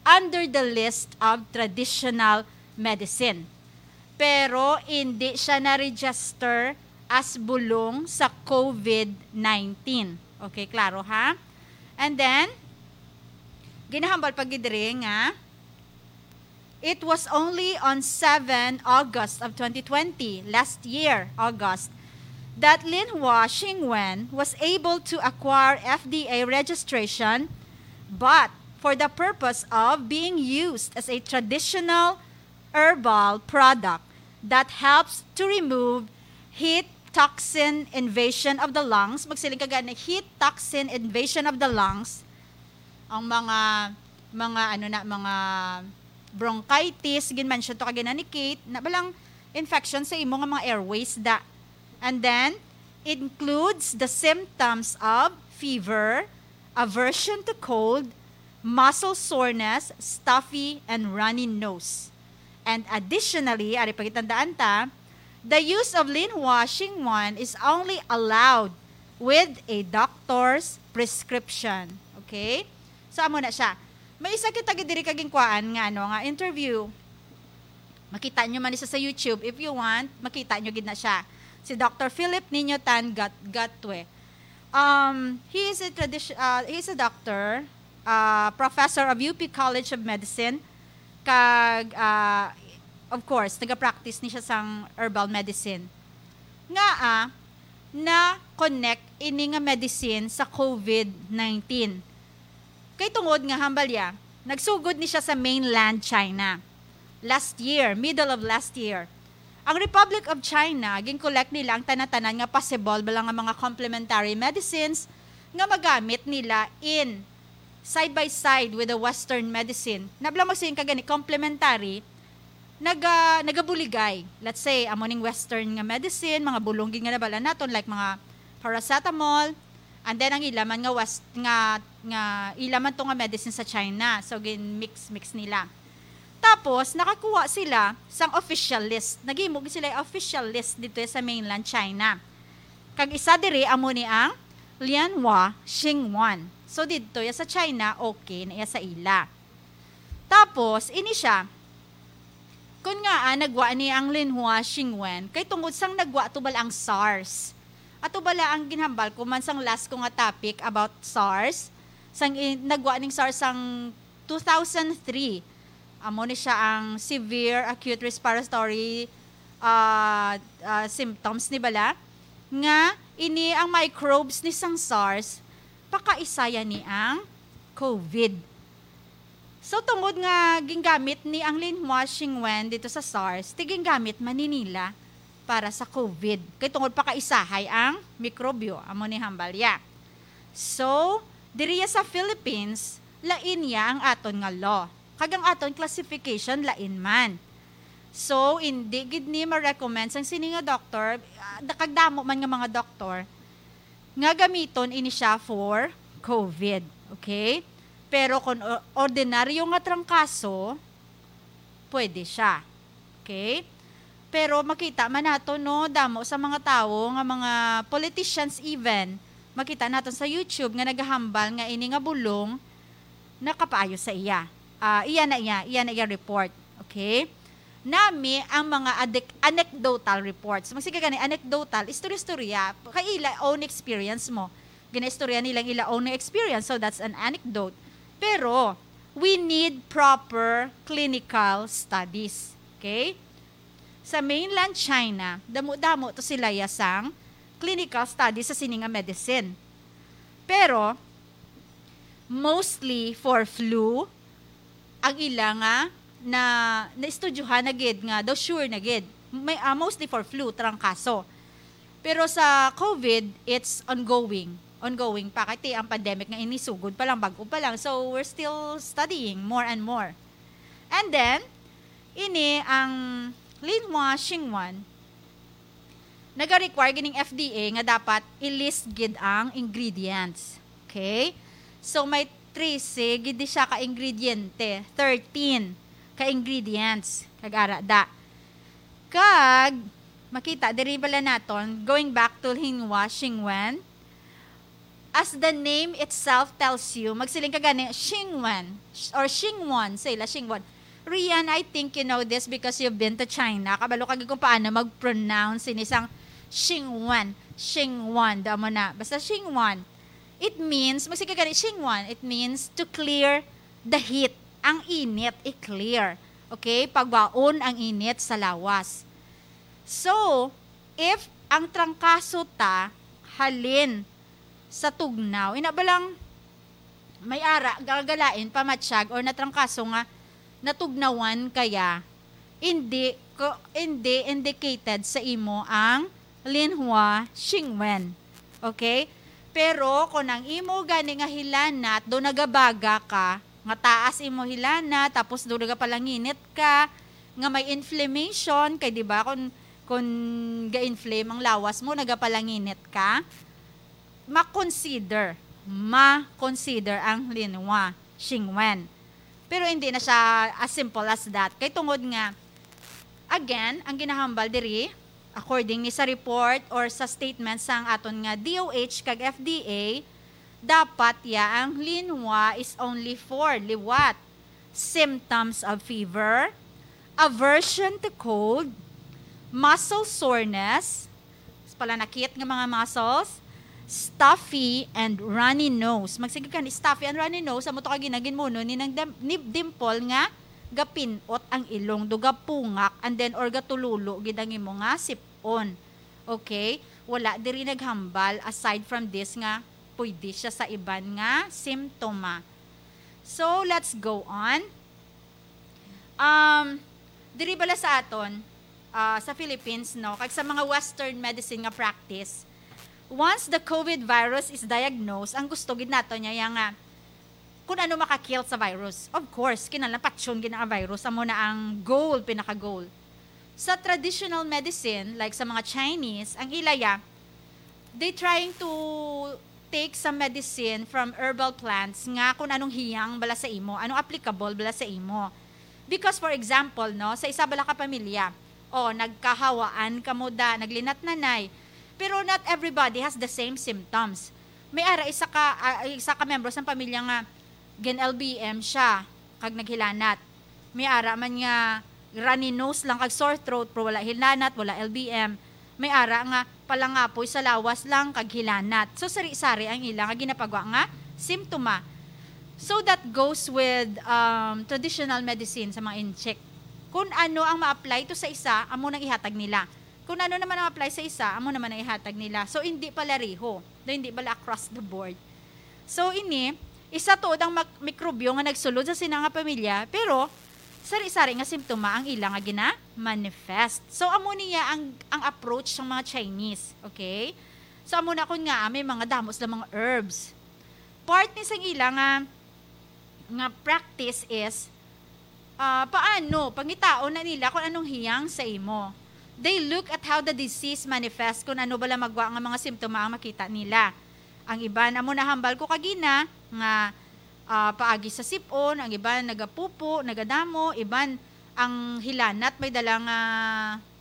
under the list of traditional medicine. pero hindi siya na-register as bulong sa COVID nineteen. Okay, klaro ha? And then, ginahambal pa gid diri nga it was only on seven August of twenty twenty, last year, August, that Linhua Xingwen was able to acquire F D A registration, but for the purpose of being used as a traditional herbal product that helps to remove heat toxin invasion of the lungs. Magsiling ka gani, heat toxin invasion of the lungs. Ang mga, mga, ano na, mga bronchitis, ginmention to kagina ni Kate, na balang infection sa imo nga mga airways da. And then, includes the symptoms of fever, aversion to cold, muscle soreness, stuffy, and runny nose. And additionally, ari pagitandaan ta, the use of Linhua Xingwen is only allowed with a doctor's prescription. Okay? So, amo na siya. May isa kita gid diri kagingkuan nga, ano, nga interview. Makita nyo man isa sa YouTube. If you want, makita nyo gid na siya. Si Doctor Philip Niño Tan Gat Gatwe. Um, he is a tradition, uh, he is a doctor, uh, professor of U P College of Medicine, kag, uh, of course, nagapractice ni siya sang herbal medicine. Nga, ah, na-connect ini nga medicine sa COVID nineteen. Kay tungod nga hambalya, nagsugod ni siya sa mainland China last year, middle of last year. Ang Republic of China, gin-collect nila ang tanan-tanan nga possible bala nga mga complementary medicines nga magamit nila in side by side with the Western medicine. Nabla mo siya gani complementary, naga, nagabuligay. Let's say, amo ning Western nga medicine, mga bulong gid nga nabala naton, like mga paracetamol, and then ang ila man nga West, nga, nga ila man to nga medicine sa China. So, gin-mix-mix nila. Tapos, nakakuha sila sang official list. Naghimo gid sila official list dito sa mainland China. Kag isa diri amo ni ang Lianhua Xingwen. So, dito ya sa China, okay na iya sa ila. Tapos, ini siya, kun nga, ah, nagwa ni ang Linhua Xingwen, kay tungod sang nagwa to bala ang SARS. Ato bala ang ginhambal ko man sang last ko nga topic about SARS, sang i-, nagwa ning SARS sang two thousand three. Amo ni siya ang severe acute respiratory, ah, ah, symptoms ni bala, nga ini ang microbes ni sang SARS, pakaisaya ni ang COVID. So, tungod nga gingamit ni ang Linhua Xingwen dito sa SARS, ti gingamit man ni nila para sa COVID. Kay tungod pakaisahay ang mikrobyo, amo ni hambalya. So, diriya sa Philippines, lain ya ang aton nga law. Kag ang aton classification, lain man. So, hindi gid ni ma-recommend sang sini nga doktor, ah, da-, kag damo man nga mga doktor, nga gamiton ini siya for COVID. Okay? Pero kung o-, ordinaryo nga trangkaso, pwede siya. Okay? Pero makita man nato, no, damo sa mga tawo nga mga politicians even, makita naton sa YouTube nga nagahambal nga ini nga bulong nakapaayo sa iya. Ah, iya na iya, iya na iya report. Okay? Nami ang mga adik-, anecdotal reports. Magsige gani, anecdotal, istorya-istorya. Kay ila own experience mo. Ginaistorya nila ang ila own experience, so that's an anecdote. Pero, we need proper clinical studies. Okay? Sa mainland China, damo-damo to sila ya sang clinical studies sa sini nga medicine. Pero, mostly for flu, ang ila nga na, naistudyohan na gid nga daw sure na gid. May, ah, mostly for flu, trangkaso. Pero sa COVID, it's ongoing. Ongoing pa. Kay ang pandemic nga ini sugod pa lang, bag-o pa lang. So, we're still studying more and more. And then, ini ang Linhua Xingwen, naga-require gining F D A nga dapat i-list gid ang ingredients. Okay? So, may trese gid di siya ka ingrediente, thirteen ka ingredients. Kag ara da. Kag, makita, diri bala naton, going back to Linhua Xingwen, as the name itself tells you, magsiling ka gani, Xingwen, or Xingwon, sa ila, Xingwon. Rian, I think you know this because you've been to China. Kabalo ka gid kung paano mag-pronounce ini sang Xingwan. Xingwan, damo na. Basta Xingwan. It means, magsige ka gani, Xingwan, it means to clear the heat. Ang init, i-clear. Okay? Pagwaon ang init sa lawas. So, if ang trangkaso ta halin sa tugnaw, ina ba lang may ara, gagalain, pamatsyag, or natrangkaso nga natugnawan kaya, hindi, ko, hindi indicated sa imo ang Linhua Xingwen. Okay? Pero kung ang imo gani nga hilanat, do nagabaga ka, nga taas imo hilanat, tapos do nagapalanginit ka, nga may inflammation, kay di ba, kung, kung ga-inflame ang lawas mo, nagapalanginit ka, ma-consider, ma-consider ang Linhua Xingwen. Pero hindi na siya as simple as that. Kay tungod nga, again, ang ginahambal diri, according ni sa report or sa statement sang aton nga D O H kag F D A, dapat ya ang Linhua is only for liwat. Symptoms of fever, aversion to cold, muscle soreness, palanakit nga mga muscles, stuffy and runny nose. Magsige ka ni stuffy and runny nose, amo to ka ginaginmuno ni nang dem-, ni Dimple nga gapinot ang ilong, do gapungak, and then or gatululo gid ang imo nga sip-on. Okay? Wala diri naghambal aside from this nga pwede siya sa iban nga simptoma. So, let's go on. Um, diri bala sa aton, ah, sa Philippines, no, kag sa mga Western medicine nga practice, once the COVID virus is diagnosed, ang gusto gid nato niya ya nga kung ano maka-kill sa virus. Of course, kinahanglan patyon gid ang virus, amo na ang goal, pinaka-goal. Sa traditional medicine, like sa mga Chinese, ang ila ya, they trying to take some medicine from herbal plants nga kung anong hiyang bala sa imo, anong applicable bala sa imo. Because, for example, no, sa isa bala ka pamilya, o, nagkahawaan kamo da, naglinatnanay. Pero not everybody has the same symptoms. May ara isa ka, ah, isa ka membro sa pamilya nga gin-L B M siya, kag naghilanat. May ara man nga runny nose lang kag sore throat, pero wala hilanat, wala L B M. May ara nga palangapoy sa lawas lang kag hilanat. So, sari-sari ang ila nga ginapagwa nga simptoma. So, that goes with, um, traditional medicine sa mga incheck. Kung ano ang ma-apply to sa isa, amo nang ihatag nila. Kung ano naman ang apply sa isa, amo naman ang ihatag nila. So, hindi pala riho. Hindi pala across the board. So, ini, isa tuod ang mak-, mikrobyo nga nagsulod sa sina nga pamilya, pero sari-sari nga simptoma ang ila nga gina-manifest. So, amo niya ang, ang approach sang mga Chinese, okay? So, amo na kun nga, ah, may mga damo sila mga herbs. Part ni sang ila nga, nga practice is, ah, paano, pangitaon na nila kung anong hiyang sa imo. They look at how the disease manifests, kung ano bala magwa nga mga simptoma ang makita nila. Ang iban, amo nahambal ko kagina, nga, ah, paagi sa sip-on, ang iban nagapupo, nagadamo, iban ang hilanat may dala nga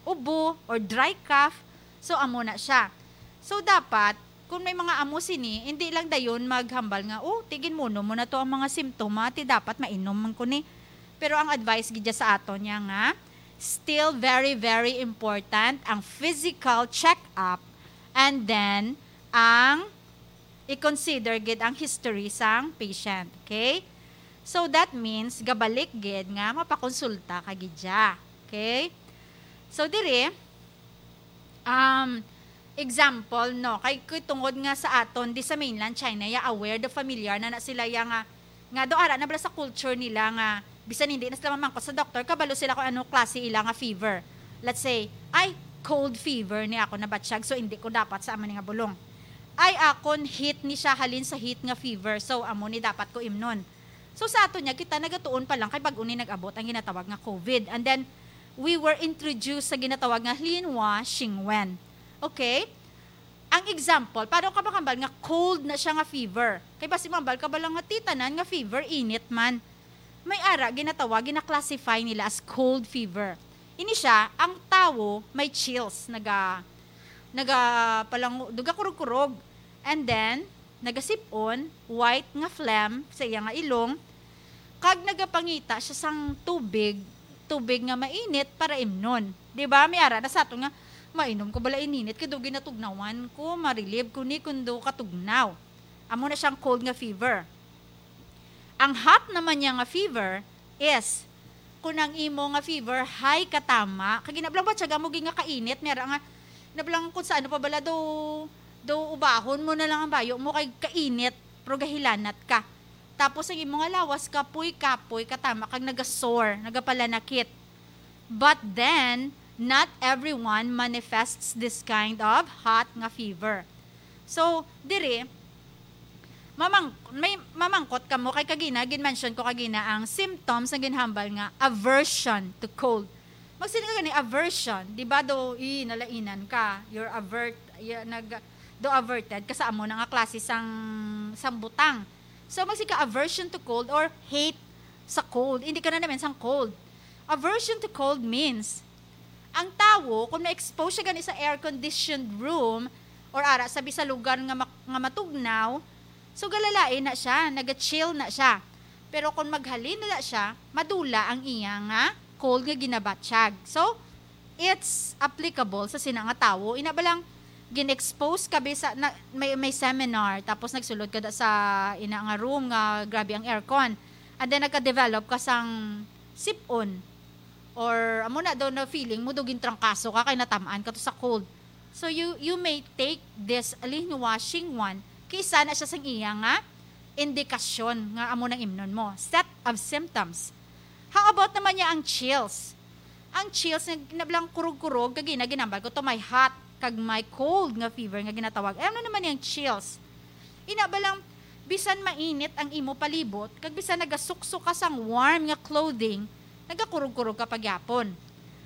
ubo or dry cough. So, amo na siya. So, dapat, kung may mga amo sini, hindi lang dayon maghambal nga, "Oh, ti ginmuno mo na to ang mga simptoma, ti dapat mainom man ko ni." Pero ang advice gid dya sa aton niya nga, still very, very important ang physical check-up and then ang i-consider gid ang history sang patient. Okay? So, that means, gabalik gid nga mapakonsulta ka gid dya. Okay? So, diri, um, example, no, kay, kay tungod nga sa aton, di sa mainland China, ya aware, the familiar na na sila ya nga, nga do ara na bala sa culture nila nga, bisan hindi na sila mamangkot sa doktor, kabalo sila kung ano klase ila nga fever. Let's say, ay, cold fever ni ako nabatsyag, so hindi ko dapat sa amo ni nga bulong. Ay, akon heat ni siya, halin sa heat nga fever, so amo ni dapat ko imnon. So, sa ato niya, kita nagatuon pa lang kay bag-o ni nag-abot ang ginatawag nga COVID. And then, we were introduced sa ginatawag nga Linhua Xingwen. Okay? Ang example, paano ka makambal nga cold na siya nga fever? Kay basi mambal ka bala nga ti tanan nga fever, init man. May ara, ginatawag, gina-classify nila as cold fever. Ini siya, ang tawo may chills, naga, naga, palang, duga kurog-kurog. And then, nagasip-on, white nga phlegm sa iya nga ilong, Kag nagapangita siya sang tubig, tubig nga mainit para imnon. Di ba? May ara na sa ato nga, "Mainom ko bala ininit, kay daw ginatugnawan ko, ma-relieve ko ni kun daw katugnaw." Amo na siyang cold nga fever. Ang hot naman niya nga fever is kung ang imo nga fever high katama, kag ginablang ba siya mo nga kainit, may ara nga, ginablang kung sa ano pa bala do, do ubahon mo na lang ang bayo mo kay kainit, pero gahilanat ka. Tapos ang imo nga lawas, kapoy-kapoy katama, kag nagasore, nagapalanakit. But then, not everyone manifests this kind of hot nga fever. So, diri, mamang-, may mamangkot kamo kay kagina, gin-mention ko kagina ang symptoms nga ginhambal nga aversion to cold. Magsiling ka gani, aversion, di ba, do, i, nalainan ka, you're avert, y-, nag, do averted ka sa amo na nga klase sang, sang butang. So, magsiling ka aversion to cold or hate sa cold. Hindi ka na naman sang cold. Aversion to cold means, ang tawo, kung na-expose siya gani sa air-conditioned room or ara sabi sa lugar nga mak-, nga matugnaw, so galalain na siya, naga-chill na siya. Pero kung maghalin na siya, madula ang iya nga cold nga ginabatyag. So, it's applicable sa sina nga tawo. Ina ba lang, gin-expose ka bisa na, may, may seminar, tapos nagsulod ka da sa ina nga room nga grabe ang aircon. And then nagka-develop ka sang sipon. Or amo na daw na feeling mo, daw gintrangkaso ka kay natamaan ka to sa cold. So you, you may take this Linghua Xingwen, kay isa na siya sang iya nga indikasyon nga amo nang imnon mo. Set of symptoms. How about naman niya ang chills? Ang chills, nag-, nablang kurog-kurog, kag ina ginambal ko to, may hot, kag may cold nga fever nga ginatawag. Ay, ano naman yung chills? Ina ba lang, bisan mainit ang imo palibot, kag bisan nagasuksok ka sang warm nga clothing, nagakurog-kurog ka pagyapon.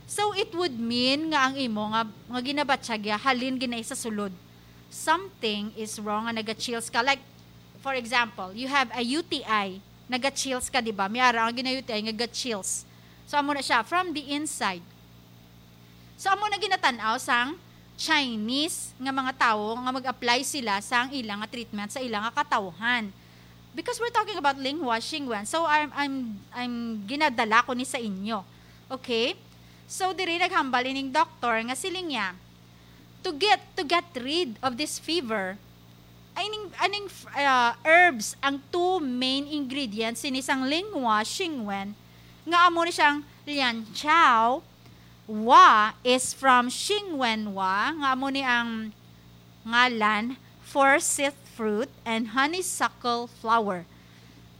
So, it would mean nga ang imo nga, nga ginabatyag ya halin ginay sa sulod. Something is wrong nga naga-chills ka. Like, for example, you have a U T I, naga-chills ka, di ba? May ara ang gina-U T I, naga-chills. So, amo na siya, from the inside. So, amo na ginatanaw sang Chinese nga mga tawo nga mag-apply sila sang ila nga treatment sa ila nga katawhan. Because we're talking about Linghua Xingwen, so I'm, I'm, I'm ginadala ko ni sa inyo. Okay? So, diri naghambal ining doktor nga siling niya, to get, to get rid of this fever, ay ning, aning, uh, herbs ang two main ingredients sini sang Linghua Xingwen, nga amo ni siyang Lianchao. Wa is from Xingwen Wa, nga amo ni ang ngalan, forsyth fruit, and honeysuckle flower.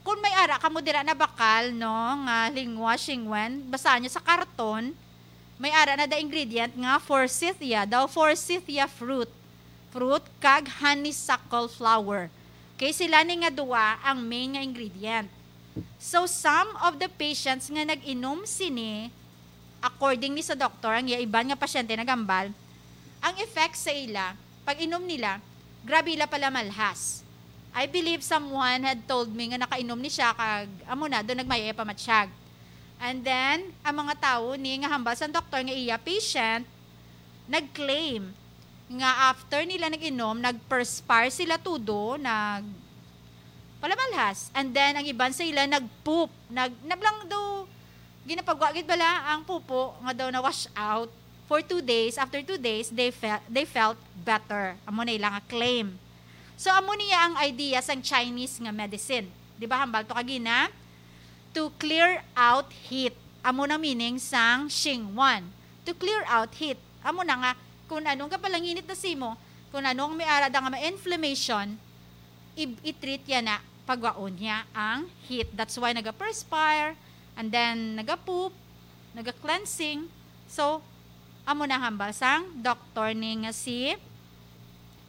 Kung may ara kamo dira na bakal, no, nga Linghua Xingwen, basahan niyo sa karton, may ara na da ingredient nga forsythia, daw forsythia fruit, fruit kag honeysuckle flower. Okay, sila ni nga duwa ang main nga ingredient. So, some of the patients nga nag-inom sini, according ni sa doktor, ang iya iban nga pasyente nagambal, ang effect sa ila, pag-inom nila, grabe ila pala malhas. I believe someone had told me nga nakainom ni siya kag amo na, do nagmayay pamatyag. And then, ang mga tawo ni nga hambal sa doktor nga iya patient, nag-claim nga after nila nag-inom, nag-perspire sila tudo, nag palamalhas. And then, ang iban sa ila nag-poop. Nag, nablang daw, ginapagwa gid bala ang pupo nga daw na-wash out for two days. After two days, they felt, they felt better. Amo na ila nga claim. So, amo niya ang idea sang Chinese nga medicine. Di ba, hambal to kagina? To clear out heat. Amo na meaning sang Xingwen. To clear out heat. Amo na nga, kung ano nga palanginit na simo, kung ano ang may ara da nga ma-inflammation, i-, i-treat ya na, pagwaon niya ang heat. That's why naga-perspire, and then naga-poop, naga-cleansing. So, amo na hambal sang doktor ni nga si,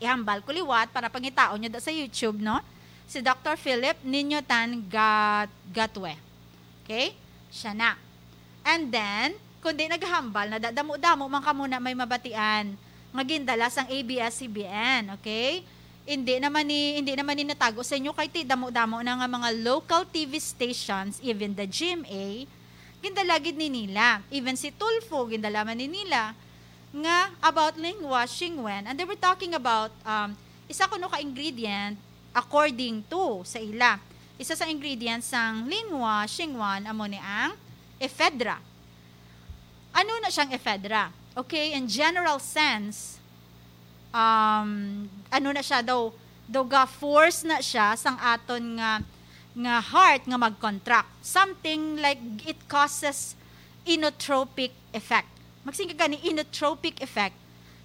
ihambal ko liwat para pangitaon nyo da sa YouTube, no? Si Doctor Philip Ninyo Tan Gat-, Gatwe. Okay? Siya na. And then, kundi naghambal na da-, damo-damo man kamo na may mabatian nga gindala sang A B S C B N, okay? Hindi naman ni, hindi naman ni natago sa inyo kay ti damo-damo na nga mga local T V stations, even the G M A, gindala gid ni nila. Even si Tulfo, gindala man ni nila nga about Linghua Xingwen. And they were talking about, um, isa kuno ka ingredient according to sa ila. Isa sa ingredients sang Linhua Xingwan amo ni ang ephedra. Ano na siyang ephedra? Okay, in general sense, um, ano na siya daw, daw ga-force na siya sang aton nga, nga heart nga mag-contract. Something like it causes inotropic effect. Magsin ka gani inotropic effect,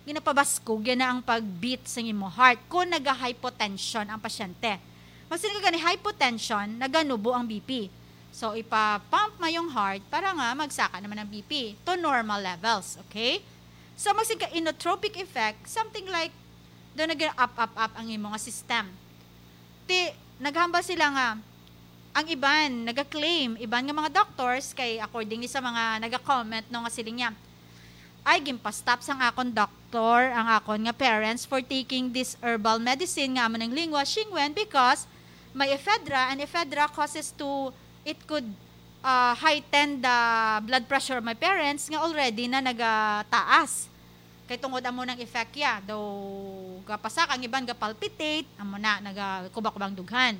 ginapabaskog yan na ang pag-beat sa imo heart kung naga-hypotension ang pasyente. Magsin ka gani hypotension, naganubo ang B P. So, ipa-pump mo yung heart para nga magsaka naman ang B P to normal levels, okay? So, magsin ka inotropic effect, something like, do nag-up, up, up ang imo nga system. Ti, naghambal sila nga, ang iban, naga-claim, iban nga mga doctors, kay according ni sa mga naga-comment, no, nga siling niya, "Ay, ginpa-stop sang akon doctor ang akon nga parents for taking this herbal medicine nga amo nang Linhua Xingwen because may ephedra, and ephedra causes to, it could uh, heighten the blood pressure of my parents nga already na nagataas. Kay tungod amo nang effect ya, daw gapasaka, ang iban ga-palpitate, amo na, nagakubakubang dughan."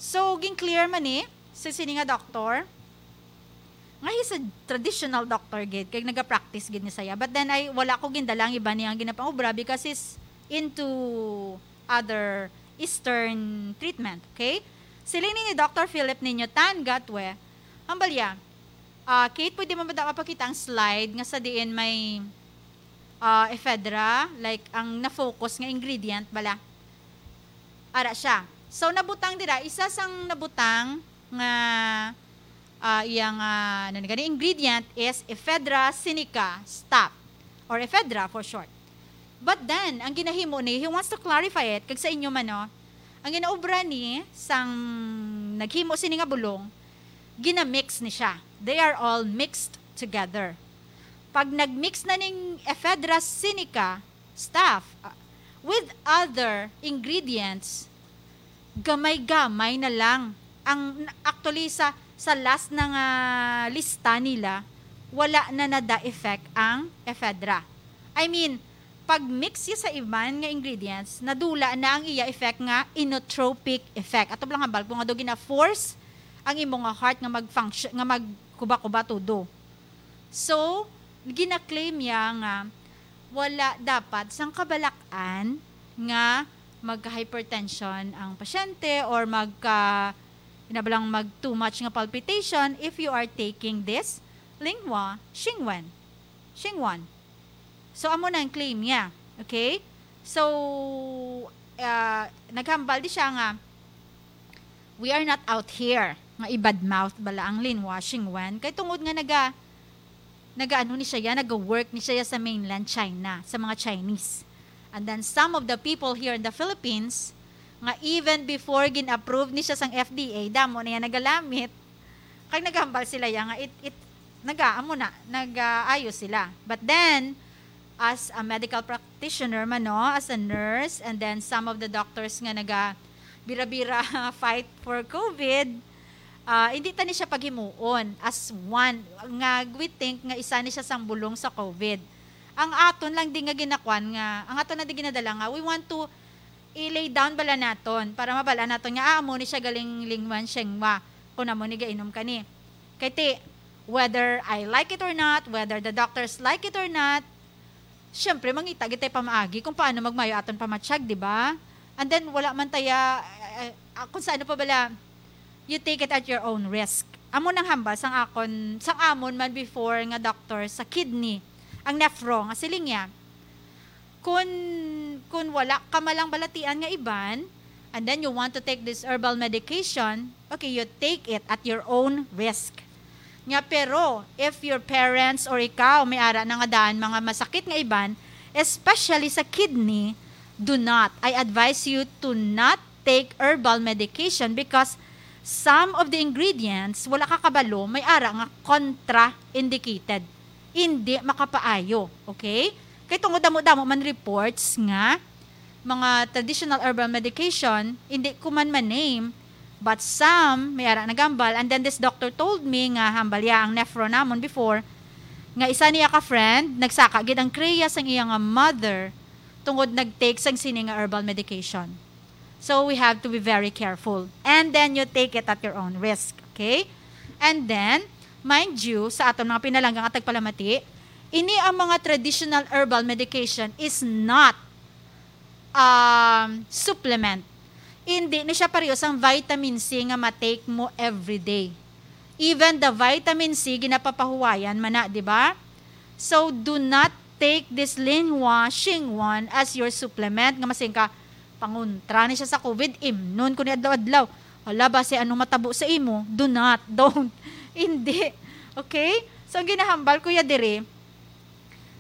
So, gin-clear man ni sa sini nga doctor nga he's a traditional doctor gid, kay naga-practice gid ni saya. But then, ay, wala ko gindala ang iban niya ang ginapangobra because he's into other Eastern treatment, okay? Siling ni Doctor Philip Niño Tan Gatwe, hambal ya, ah, Kate, pwede mo ba daw mapakita ang slide nga sa diin may, ah, ephedra, like, ang na-focus nga ingredient bala? Ara siya. So, nabutang dira, isa sang nabutang nga, ah, iyang, ah, ano ni gani, ingredient is ephedra sinica staph, or ephedra for short. But then, ang ginahimo ni, he wants to clarify it, kag sa inyo man, no, ang ginaobra ni sang naghimo sini nga bulong, ginamix ni siya. They are all mixed together. Pag nagmix na ning ephedra sinica staph, ah, with other ingredients, gamay-gamay na lang. Ang, actually, sa, sa last na nga lista nila, wala na nada effect ang ephedra. I mean, pag mix siya sa iban nga ingredients, nadula na ang iya effect nga inotropic effect. Ato lang hambal ko nga daw gina-force ang imo nga heart nga mag-function, nga magkuba-kuba todo. So, gina-claim niya nga wala dapat sang kabalak-an nga magka-hypertension ang pasyente or magka, ina ba lang, mag too much nga palpitation if you are taking this Linhua Xingwen. Xingwan. So, amo na ang claim niya. Okay? So, ah, naghambal di siya nga, "We are not out here nga i-badmouth bala ang Linhua Xingwen." Kay tungod nga naga, naga-ano ni siya, naga-work ni siya sa mainland China, sa mga Chinese. And then some of the people here in the Philippines, nga even before gin-approve ni siya sang F D A, damo na yan nagalamit. Kag naghambal sila ya nga it, it, naga, amo na, nag-ayo sila. But then, as a medical practitioner man, no, as a nurse, and then some of the doctors nga naga bira-bira fight for COVID, ah, hindi ta ni siya paghimuon as one, nga we think nga isa ni siya sang bulong sa COVID. Ang aton lang di nga ginakwan nga, ang aton na di ginadala nga, we want to i-lay down bala naton para mabal-an naton nga, ah, amo ni siya galing Linhua Xingwen kung amo ni gainom ka ni. Kay ti, whether I like it or not, whether the doctors like it or not, syempre, mangita gid tay pamaagi kung paano magmayo aton pamatyag, di ba? And then, wala man taya, eh, eh, ah, kung sa ano pa bala, you take it at your own risk. Amo nang hambal sang akon, sang amon man before nga doctor sa kidney, ang nephro, nga siling niya, kun, kun wala ka malang balatian nga iban, and then you want to take this herbal medication, okay, you take it at your own risk. Nga, pero, if your parents or ikaw may ara na nga daan mga masakit nga iban, especially sa kidney, do not. I advise you to not take herbal medication because some of the ingredients, wala ka kabalo, may ara nga contraindicated. Hindi makapaayo. Okay? Kay tungod damo-damo man reports nga mga traditional herbal medication, hindi ko man ma-name, but some, may ara nagambal. And then this doctor told me nga hambal ya ang nephro namon before, nga isa niya ka friend, nagsaka gid ang kriya sang iya nga mother tungod nag-take sang sini nga herbal medication. So, we have to be very careful. And then, you take it at your own risk. Okay? And then, mind you, sa aton mga pinalangga nga tagpalamati, ini ang mga traditional herbal medication is not, um, supplement. Hindi ni siya pareho sang vitamin C nga ma-take mo everyday. Even the vitamin C, ginapapahuwayan man na, di ba? So, do not take this Linhua Xingwan as your supplement. Nga masing ka, pangontra ni siya sa COVID, imnon ko ni adlaw-adlaw. Hala, basi ano matabo sa imo? Do not, don't. Hindi. Okay? So, ang ginahambal ko ya diri,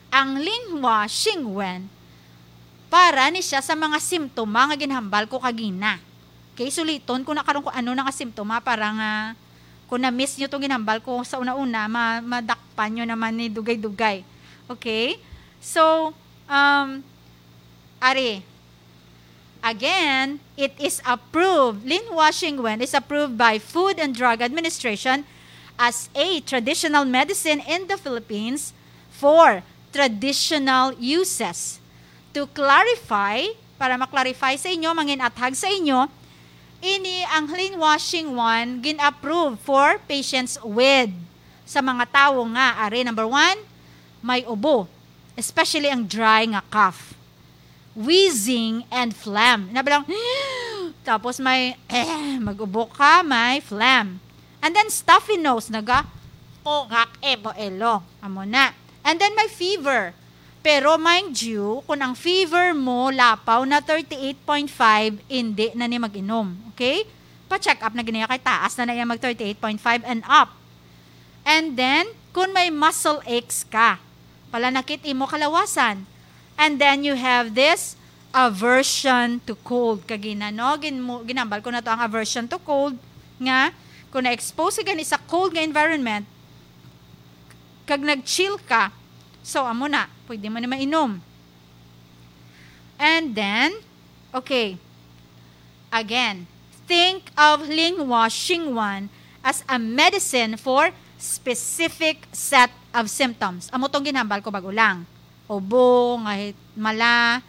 ang Linhua Xingwen, para ni siya sa mga simptoma nga ginhambal ko kagina. Okay, suliton ko na karon kung ano na nga simptoma para nga kung na-miss nyo tong ginhambal ko sa una-una, ma-, madakpan nyo naman ni dugay-dugay. Okay? So, um, ari, again, it is approved. Linhua Xingwen is approved by Food and Drug Administration as a traditional medicine in the Philippines for traditional uses. To clarify, para ma-clarify sa inyo, mangin-athag sa inyo, ini ang Linhua Xingwan gin-approve for patients with, sa mga tawo nga, ari, number one, may ubo, especially ang dry nga cough, wheezing, and phlegm. Ina ba lang, tapos may, eh, mag-ubo ka, may phlegm. And then stuffy nose, naga, kugak, ebo, elo. Amo na. And then may fever. Pero mind you, kung ang fever mo lapaw na thirty-eight point five, hindi na ni mag-inom. Okay? Pa-check up na gid niya kay taas na na iya mag thirty-eight point five and up. And then, kung may muscle aches ka, palanakit imo kalawasan. And then you have this aversion to cold. Kagina, no? Gin-, ginambal ko na to ang aversion to cold nga kung na-expose ka gani sa cold nga environment, kag nag-chill ka, so amo na, pwede mo na mainom. And then, okay, again, think of Linhua Xingwan as a medicine for specific set of symptoms. Amo tong ginhambal ko bago lang. Ubo, nga hit-, mala,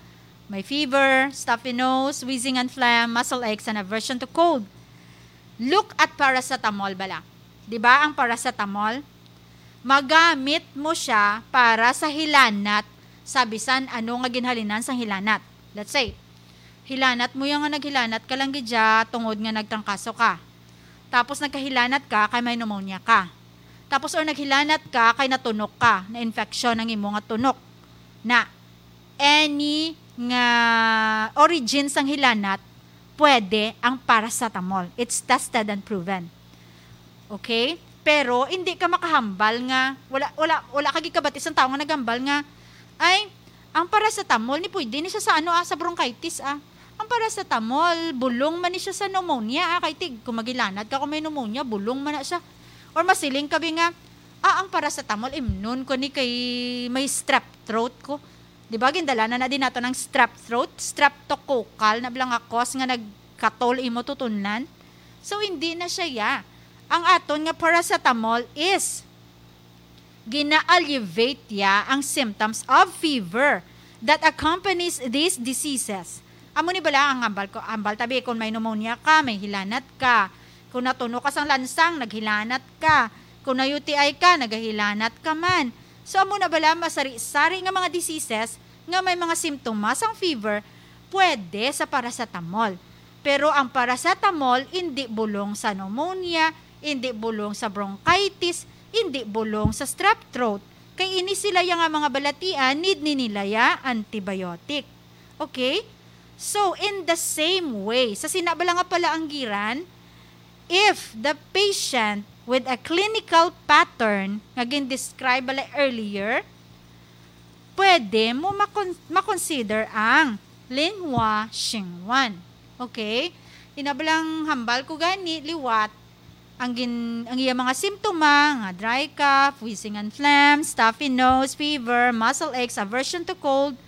may fever, stuffy nose, wheezing and phlegm, muscle aches, and aversion to cold. Look at paracetamol bala. Di ba ang paracetamol? Magamit mo siya para sa hilanat sa bisan ano nga ginhalinan sang hilanat. Let's say, hilanat mo yung nga naghilanat ka lang gid siya tungod nga nagtrangkaso ka. Tapos nagkahilanat ka kay may pneumonia ka. Tapos or naghilanat ka kay natunok ka, na-infection ang imo nga tunok. Na any nga origin sang hilanat, pwede ang paracetamol. It's tested and proven. Okay? Pero hindi ka makahambal nga, wala, wala, wala ka gikabati sang tawo nga naghambal nga, ay, ang paracetamol ni pwede ni siya sa ano, ah, sa bronchitis, ah. Ang paracetamol, bulong man ni siya sa pneumonia, ah, kay tig, kung maghilanat ka kung may pneumonia, bulong man na siya. Or masiling ka bi nga, ah, ang paracetamol, imnon ko ni kay may strep throat ko. Di ba, gindala na na din nato ng strep throat, streptococcal na bala nga cause nga nagkatol imo tutunlan. So, hindi na siya ya. Ang aton nga paracetamol is gina-alleviate ya ang symptoms of fever that accompanies these diseases. Amo ni bala ang hambal ko, hambal tabi kung may pneumonia ka, may hilanat ka. Kung natunok ka sang lansang, naghilanat ka. Kung na-U T I ka, nagahilanat ka man. So, amo na bala masari-sari nga mga diseases nga may mga simptomas ang fever, pwede sa paracetamol. Pero ang paracetamol hindi bulong sa pneumonia, hindi bulong sa bronchitis, hindi bulong sa strep throat. Kay ini sila ya nga mga balatian, need ni nila ya antibiotic. Okay? So, in the same way, sa sina bala nga palaanggiran, if the patient with a clinical pattern nga gin-describe bala earlier, pwede mo makon-, makonsider ang Linhua Xingwan. Okay? Ina bala ang hambal ko gani, liwat, ang gin-, ang iya mga simptoma nga dry cough, wheezing and phlegm, stuffy nose, fever, muscle aches, aversion to cold,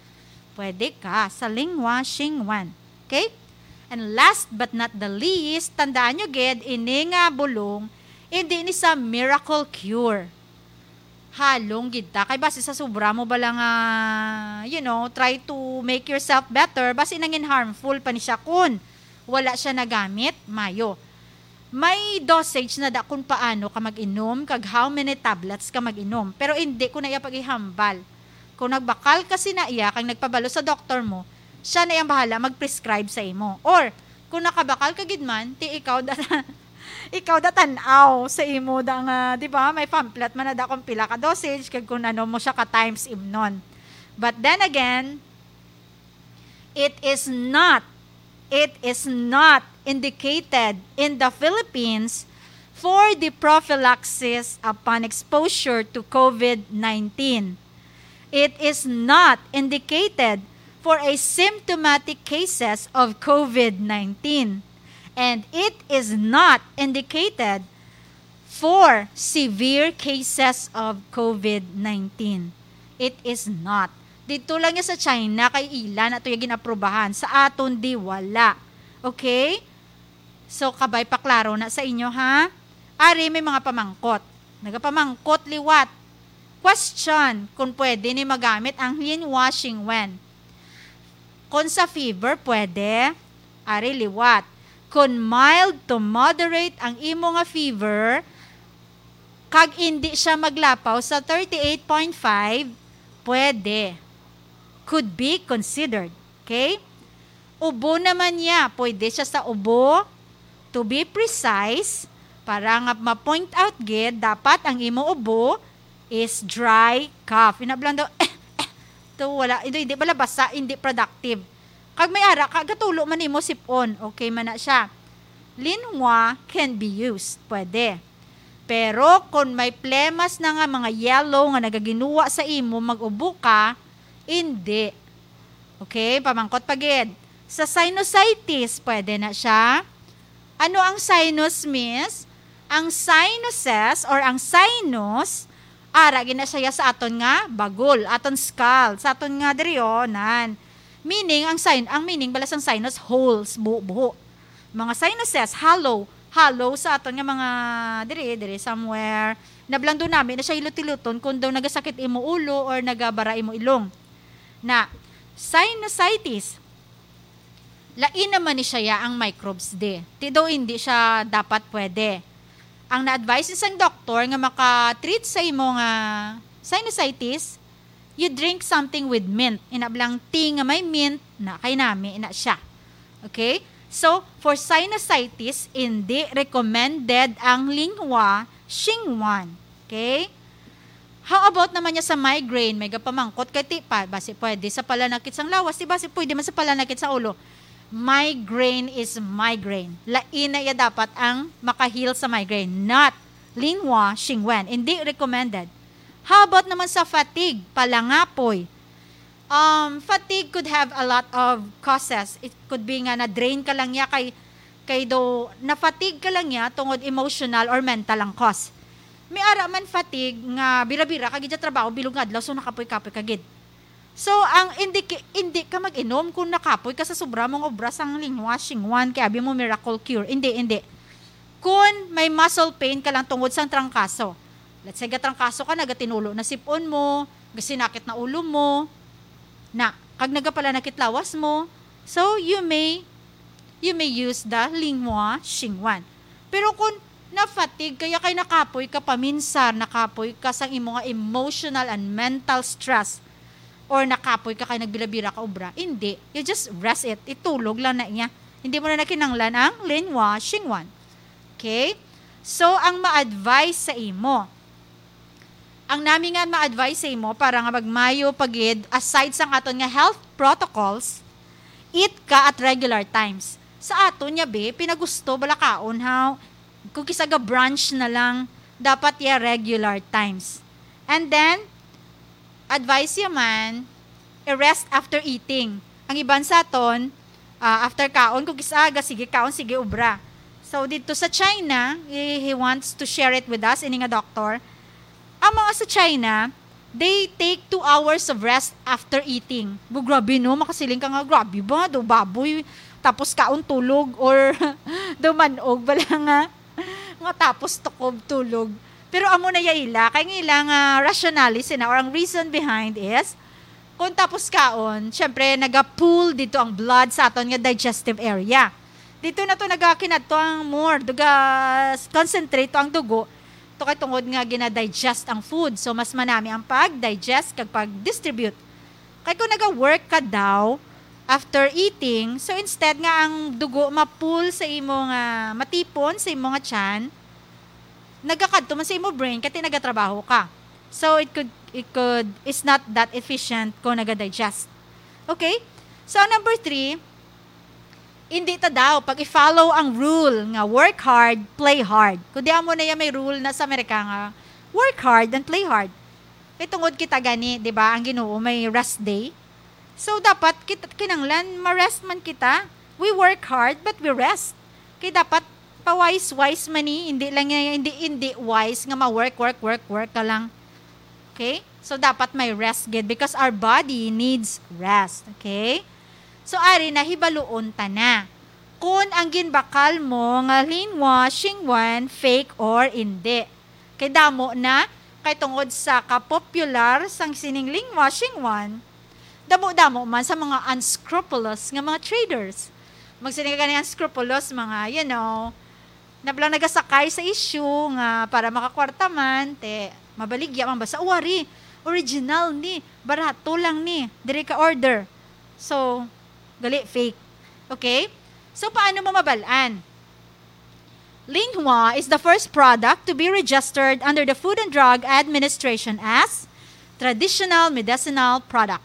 pwede ka sa Linhua Xingwan. Okay? And last but not the least, tandaan nyo gid, ini nga bulong, hindi ni sa miracle cure. Halong gid ta. Kay basi sa sobra mo bala nga, you know, try to make yourself better, basi nangin harmful pa ni siya kun wala siya nagamit, mayo. May dosage na da kung paano ka mag-inom, kag how many tablets ka mag-inom. Pero hindi ko na iya pag-ihambal. Kung nagbakal ka sina iya, kag nagpabalo sa doktor mo, siya na yang bahala mag-prescribe sa imo. Or, kung nakabakal ka gid man, ti ikaw da, ikaw da tan-aw sa imo da nga, di ba? May pamphlet man na da kung pila ka dosage, kag kung ano mo siya ka times imnon. But then again, it is not, it is not indicated in the Philippines for the prophylaxis upon exposure to COVID nineteen. It is not indicated for asymptomatic cases of COVID nineteen. And it is not indicated for severe cases of COVID nineteen. It is not. Dito lang ya sa China, kay ila na to ya ginaprobahan. Sa aton, di wala. Okay? So, kabay pa klaro na sa inyo, ha? Ari, may mga pamangkot. Nagapamangkot liwat. Question, kung pwede ni magamit ang Lianhua Xingwen. Kung sa fever, pwede. Ari, liwat. Kung mild to moderate ang imo nga fever, kag indi siya maglapaw sa thirty-eight point five, pwede. Could be considered. Okay? Ubo naman niya. Pwede siya sa ubo. To be precise, para nga ma-point out gid, dapat ang imo ubo is dry cough. Ina lang daw, to wala, hindi, hindi pala basa, hindi productive. Kag may ara ka, gatulo man nimo sipon. Okay man na siya. Lianhua can be used. Pwede. Pero kung may plemas na nga mga yellow nga nagaginuwa sa imo, mag-ubo ka, hindi. Okay, pamangkot pa gid. Sa sinusitis, pwede na siya. Ano ang sinus, miss? Ang sinuses or ang sinus, ara gid na siya sa aton nga bagol, aton skull, sa aton nga diri, oh, nan. Meaning, ang sin-, ang meaning bala sang sinus, holes, buho-buho. Mga sinuses, hollow, hollow sa aton nga mga diri, diri somewhere. Nablando nami na siya hilot-hiloton kung daw nagasakit imo ulo or nagabara imo ilong. Na, sinusitis, lain naman ni siya ang microbes di. Ti daw hindi siya dapat pwede. Ang na-advise ni sang doktor nga maka-treat sa imo nga sinusitis, you drink something with mint. Ina bala ang tea nga may mint, na kay nami na siya. Okay? So, for sinusitis, hindi recommended ang Lianhua Xingwen. Okay? How about naman niya sa migraine? May gapamangkot kay ti pa, basi pwede sa palanakit sang lawas, di basi pwede man sa palanakit sa ulo. Migraine is migraine. Lain na iya dapat ang maka-heal sa migraine, not Lianhua Xingwen. Hindi recommended. How about naman sa fatigue, palangapoy? Um, fatigue could have a lot of causes. It could be nga na-drain ka lang niya kay, kay do, na-fatigue ka lang niya tungod emotional or mental ang cause. May ara man fatigue nga bira-bira ka gid sa trabaho, bilog nga adlaw, so nakapoy-kapoy ka gid. So, ang hindi ki-, hindi ka mag-inom kung nakapoy ka sa sobra mong obra sang Lianhua Xingwen, kay abi mo miracle cure. Hindi, hindi. Kung may muscle pain ka lang tungod sang trangkaso. Let's say, gatrangkaso ka, nagatinulo na sipon mo, gasinakit na ulo mo, na, kag nagapalanakit lawas mo. So, you may, you may use the Lianhua Xingwen. Pero kung na-fatigue kaya kay nakapoy ka paminsar, nakapoy ka sang imo nga emotional and mental stress, or nakapoy ka kay nagbira-bira ka obra, hindi. You just rest it. Itulog lang na iya. Hindi mo na nakinanglan ang Lianhua Xingwen. Okay? So, ang ma-advise sa imo, ang nami nga ma-advise sa imo para nga magmayo pa gid, aside sang aton nga health protocols, eat ka at regular times. Sa aton niya, be, pinagusto bala kaon, ha? Kung kisa ga brunch na lang, dapat ya regular times. And then, advice ya man, i-rest after eating. Ang iban sa aton, ah, after kaon, kung kisa ga, sige kaon, sige obra. So, dito sa China, he, he wants to share it with us, ini nga doktor. Ang mga sa China, they take two hours of rest after eating. Bu, grabe, no? Makasiling ka nga, grabe ba? Do baboy, tapos kaon, tulog, or do manog, bala nga, nga tapos tukob, tulog. Pero amo na ya ila, kay ang ila nga rationale sina, or ang reason behind is, kung tapos kaon, syempre, naga-pool dito ang blood sa aton nga digestive area. Dito na to nagakinadto ang more, duga, concentrate to ang dugo. To kay tungod nga gina-digest ang food. So, mas manami ang pag-digest kag pag-distribute. Kay kung naga-work ka daw after eating, so instead nga ang dugo ma-pool sa imo nga, matipon sa imo nga tiyan, nagakadto man sa imo brain kay nagatrabaho ka. So, it could, it could, it's not that efficient kung naga-digest. Okay? So, ang number three, hindi ta daw pag i-follow ang rule nga work hard, play hard. Kundi amo na yan may rule na sa Amerika nga work hard and play hard. Kay tungod kita gani, di ba, ang Ginoo may rest day. So, dapat kita, kinanglan, ma-rest man kita. We work hard, but we rest. Kay dapat pa-wise-wise man ni, hindi lang nga, hindi, hindi wise nga ma-work, work, work, work ka lang. Okay? So, dapat may rest gid because our body needs rest. Okay? So, ari na, hibaluon ta na kung ang ginbakal mo nga Linhua Xingwan fake or indi. Kay damo na, kay tungod sa kapopular sang sining Linhua Xingwan, damo-damo man sa mga unscrupulous nga mga traders. Magsiling ka gani unscrupulous, mga, you know, nablang nagasakay sa issue nga para makakwarta man, te, mabaligya man ba sa uwari? Original ni, barato lang ni, diri ka order. So, gali fake. Okay? So, paano mo mabal-an? Linhua is the first product to be registered under the Food and Drug Administration as traditional medicinal product.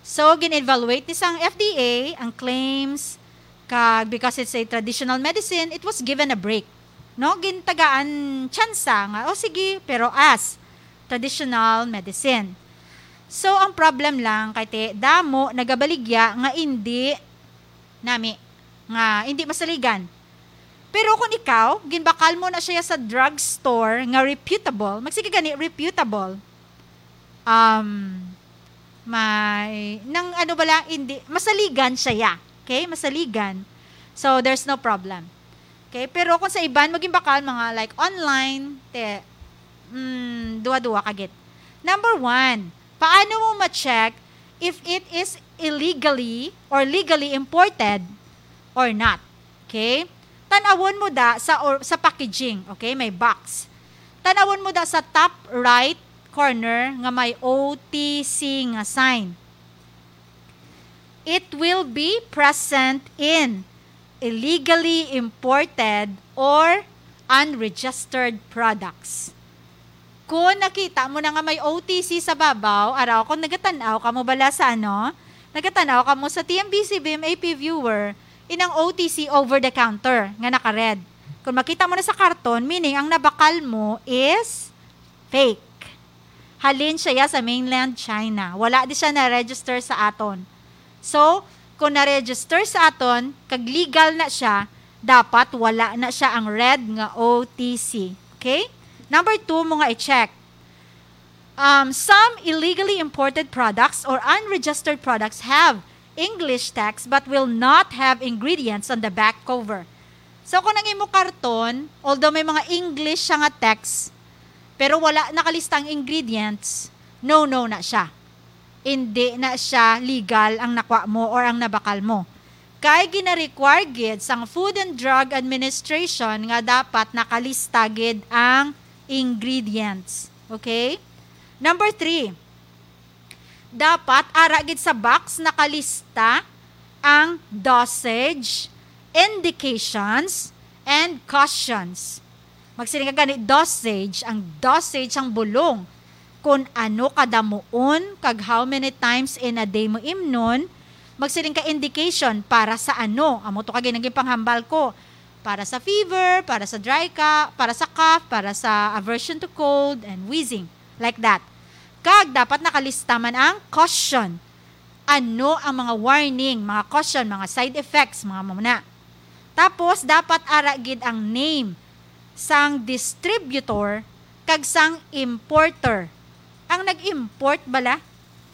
So, gin-evaluate ni sang F D A ang claims, kag because it's a traditional medicine, it was given a break. No? Gintagaan tsansa nga, "O sige, pero as traditional medicine." So, ang problem lang kay te, damo nagabaligya nga indi nami, nga indi masaligan. Pero kung ikaw, ginbakal mo na siya sa drugstore nga reputable, magsige gani, reputable. Um, may, nang ano bala, hindi, masaligan siya, ya. Okay? Masaligan. So, there's no problem. Okay? Pero kung sa iban mo ginbakal, mga like online, te, mm, duwa-duwa ka gid. Number one, paano mo ma-check if it is illegally or legally imported or not? Okay? Tan-awon mo da sa, or, sa packaging. Okay? May box. Tan-awon mo da sa top right corner nga may O T C nga sign. It will be present in illegally imported or unregistered products. Kung nakita mo na nga may O T C sa babaw, araw, kung nagatan-aw ka mo bala sa ano, nagatan-aw ka mo sa T M B C B M A P viewer, inang O T C, over the counter nga naka-red. Kung makita mo na sa karton, meaning ang nabakal mo is fake. Halin siya sa mainland China. Wala di siya na-register sa aton. So, kung na-register sa aton, kag legal na siya, dapat wala na siya ang red nga O T C. Okay? Number two mo nga i-check. Um, some illegally imported products or unregistered products have English text but will not have ingredients on the back cover. So, kung ang imo karton, although may mga English siya nga text, pero wala nakalista ang ingredients, no, no na siya. Hindi na siya legal ang nakwa mo or ang nabakal mo. Kay gina-require gid sang Food and Drug Administration nga dapat nakalista gid ang ingredients. Okay? Number three, dapat ara gid sa box nakalista ang dosage, indications, and cautions. Magsiling ka gani, dosage, ang dosage sang bulong. Kung ano kadamuon, kag how many times in a day mo imnon, magsiling ka indication para sa ano. Amo to kag naging panghambal ko. Para sa fever, para sa dry ka, para sa cough, para sa aversion to cold and wheezing. Like that. Kag dapat nakalista man ang caution. Ano ang mga warning, mga caution, mga side effects, mga mamuna. Tapos, dapat ara gid ang name sang distributor kag sang importer. Ang nag-import bala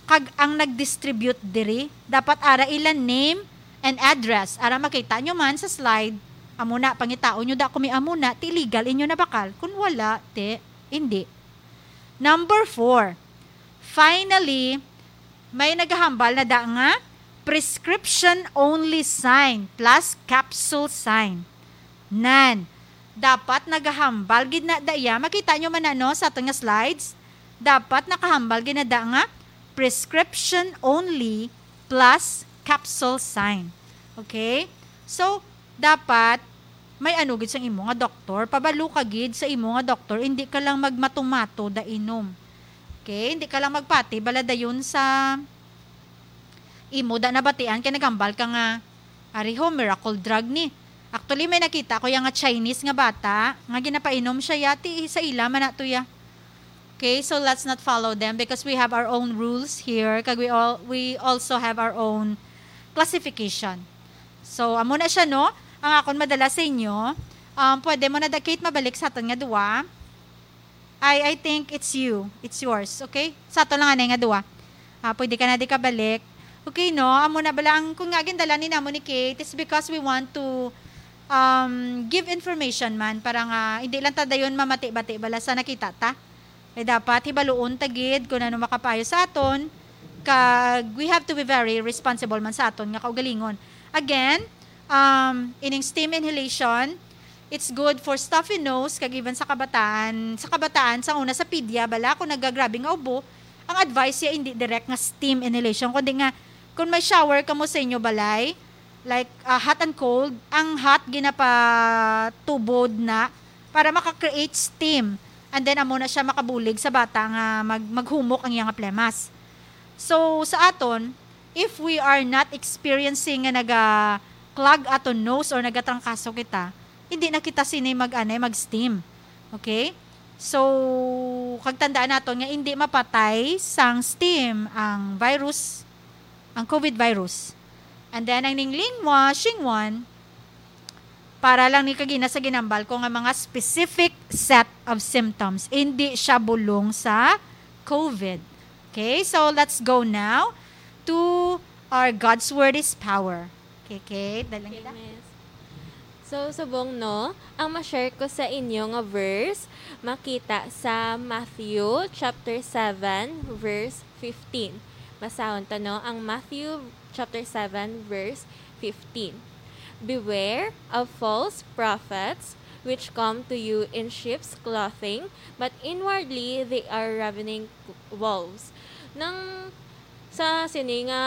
kag ang nag-distribute diri, dapat ara ila name and address. Ara makita nyo man sa slide, amo na, pangitaon nyo da kung may amo na, ti legal inyo nabakal. Kung wala, ti, hindi. Number four, finally, may nagahambal na da nga Prescription only sign plus capsule sign. Nan, dapat nagahambal gid na da iya. Makita nyo man na, no, sa aton nga slides? Dapat nakahambal gid na da nga prescription only plus capsule sign. Okay? So, dapat may ano gid sang imo nga doktor. Pabalo ka gid sa imo nga doktor. Hindi ka lang magmatumato da inom. Okay? Hindi ka lang magpati bala dayon sa imo da nabatian kay naghambal ka nga, "Ari ho, miracle drug ni." Actually, may nakita ko ya nga Chinese nga bata nga ginapainom siya ya, ti sa ila man na to ya. Okay, so let's not follow them because we have our own rules here, kag we all, we also have our own classification. So, amo na siya, no? Ang akon madala sa inyo, um, pwede mo na da, Kate, mabalik sa aton nga duwa. I, I think it's you. It's yours, okay? Sa ato lang anay nga duwa. Ah, pwede ka na di kabalik. Okay, no? Amo na bala ang, kung nga gindala ni namo ni Kate, it's because we want to, um, give information man para nga hindi lang ta dayon mamati-bati bala sa nakita ta. Kay dapat hibaluon ta gid kung ano makapayo sa aton, kag we have to be very responsible man sa aton nga kaugalingon. Again, um, ining steam inhalation, it's good for stuffy nose, kag even sa kabataan, sa kabataan, sa una sa pedia, bala, kung nagagrabe nga ubo, ang advice ya hindi direct nga steam inhalation, kundi nga, kung may shower kamo sa inyo balay, like, ah, hot and cold, ang hot ginapatubod na para maka-create steam. And then, amo na siya makabulig sa bata nga mag-, maghumok ang iyang plemas. So, sa aton, if we are not experiencing nga naga-clog aton nose or nagatrangkaso kita, hindi na kita sini mag-anay, mag-steam. Okay? So, kag tandaan naton nga hindi mapatay sang steam ang virus, ang COVID virus. And then, ang ning lingwa, shingwan, para lang ni kagina sa ginambal ko nga mga specific set of symptoms. Hindi siya bulong sa COVID. Okay, so let's go now to our God's Word is Power. Okay, Kate, dalang Okay, kita. Miss. So, subong, no, ang ma-share ko sa inyo nga verse, makita sa Matthew chapter seven, verse fifteen. Basahon ta, no, ang Matthew chapter seven, verse fifteen. "Beware of false prophets, which come to you in sheep's clothing, but inwardly they are ravening wolves." Nang sa sini nga,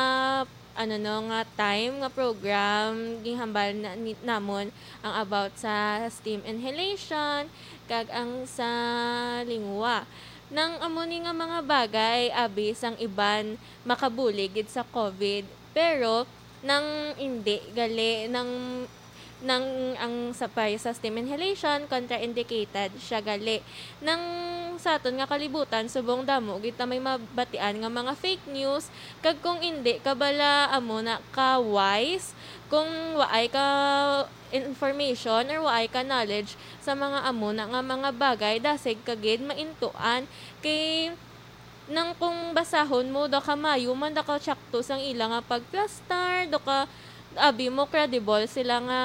ano, no, nga time nga program, ginhambal na, ni, namon ang about sa steam inhalation, kag ang sa lingwa. Nang amo ni nga mga bagay, abi sang iban makabulig gid sa COVID, pero nang indi gali, nang, nang ang sa, payo sa steam inhalation, contraindicated siya gali. Nang sa aton nga kalibutan, subong damo gid ta may mabatian nga mga fake news, kag kung indi ka bala amo na ka wise, kung waay ka information or waay ka knowledge sa mga amo na nga mga bagay, dasig ka gid maintuan. Kay nang kung basahon mo, daw ka maayo man, daw ka tsakto sang ila nga pagplastar, daw ka, abi mo, credible sila nga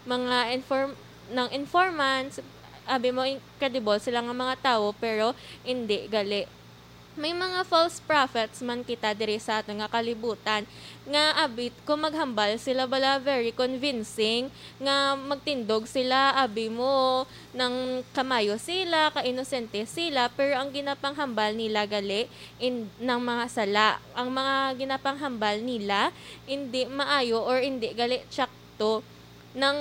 mga inform-, nang informants, abi mo, in-, credible sila nga mga tawo, pero indi gali. May mga false prophets man kita diri sa aton nga kalibutan, nga abi, kung maghambal sila bala very convincing, nga magtindog sila, abi mo, nang kamayo sila, ka-inosente sila, pero ang ginapanghambal nila gali in, nang mga sala. Ang mga ginapanghambal nila, indi maayo or indi gali tsakto. Nang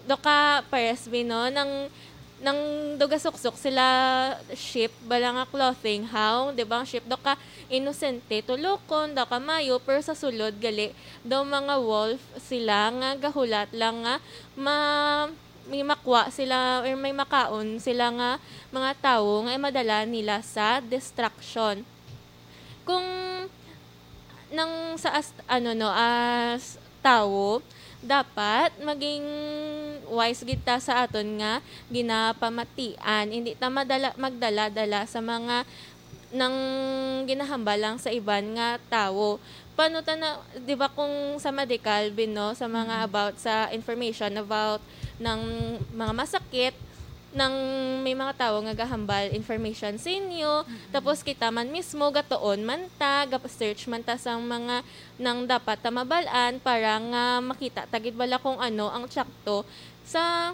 daw ka pares mi, no, nang, nang daw gasuksok sila sheep, bala nga clothing, how, di ba, ang sheep, daw ka inosente, tulokon, daw ka maayo, pero sa sulod gali, daw mga wolf sila nga gahulat lang nga ma-, may makwa sila or may makaon sila nga mga tawo nga madala nila sa destruction. Kung nang sa as-, ano, no, as tawo, dapat maging wise gid ta sa aton nga ginapamatian. Hindi ta madala, magdala-dala sa mga nang ginahambal lang sa iban nga tawo. Paano ta na, di ba, kung sa medical, Bin, no, sa mga Mm. about sa information about ng mga masakit, nang may mga tawo nga gahambal information sa inyo, Mm-mm. tapos kita man mismo gatuon man ta, ga-search man ta sang mga nang dapat ta mabal-an para nga makita ta gid bala kung ano ang tsakto sa,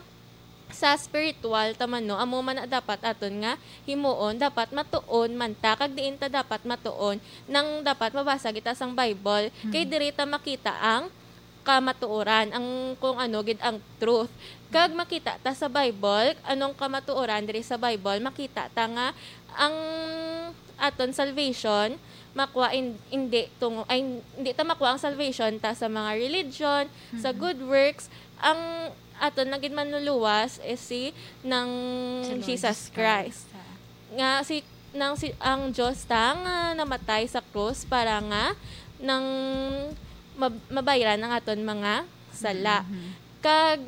sa spiritual ta man, no? Amo man na dapat aton nga himuon, dapat matuon man ta, kag diin ta dapat matuon, nang dapat mabasa kita sang Bible, kay Mm. diri ta makita ang kamatuoran, ang kung ano gid ang truth. Kag makita ta sa Bible, anong kamatuoran diri sa Bible, makita ta nga ang aton salvation makwa in-, hindi tungo-, ay, hindi ta makwa ang salvation ta sa mga religion, sa Mm-mm. good works. Ang aton na gid manluluwas is si nang Si Lord Jesus Jesus Christ. Christ. Ah. Nga si, nang si, ang Diyos ta nga namatay sa krus para nga nang mab-, mabayran ang aton mga sala. Mhm. Kag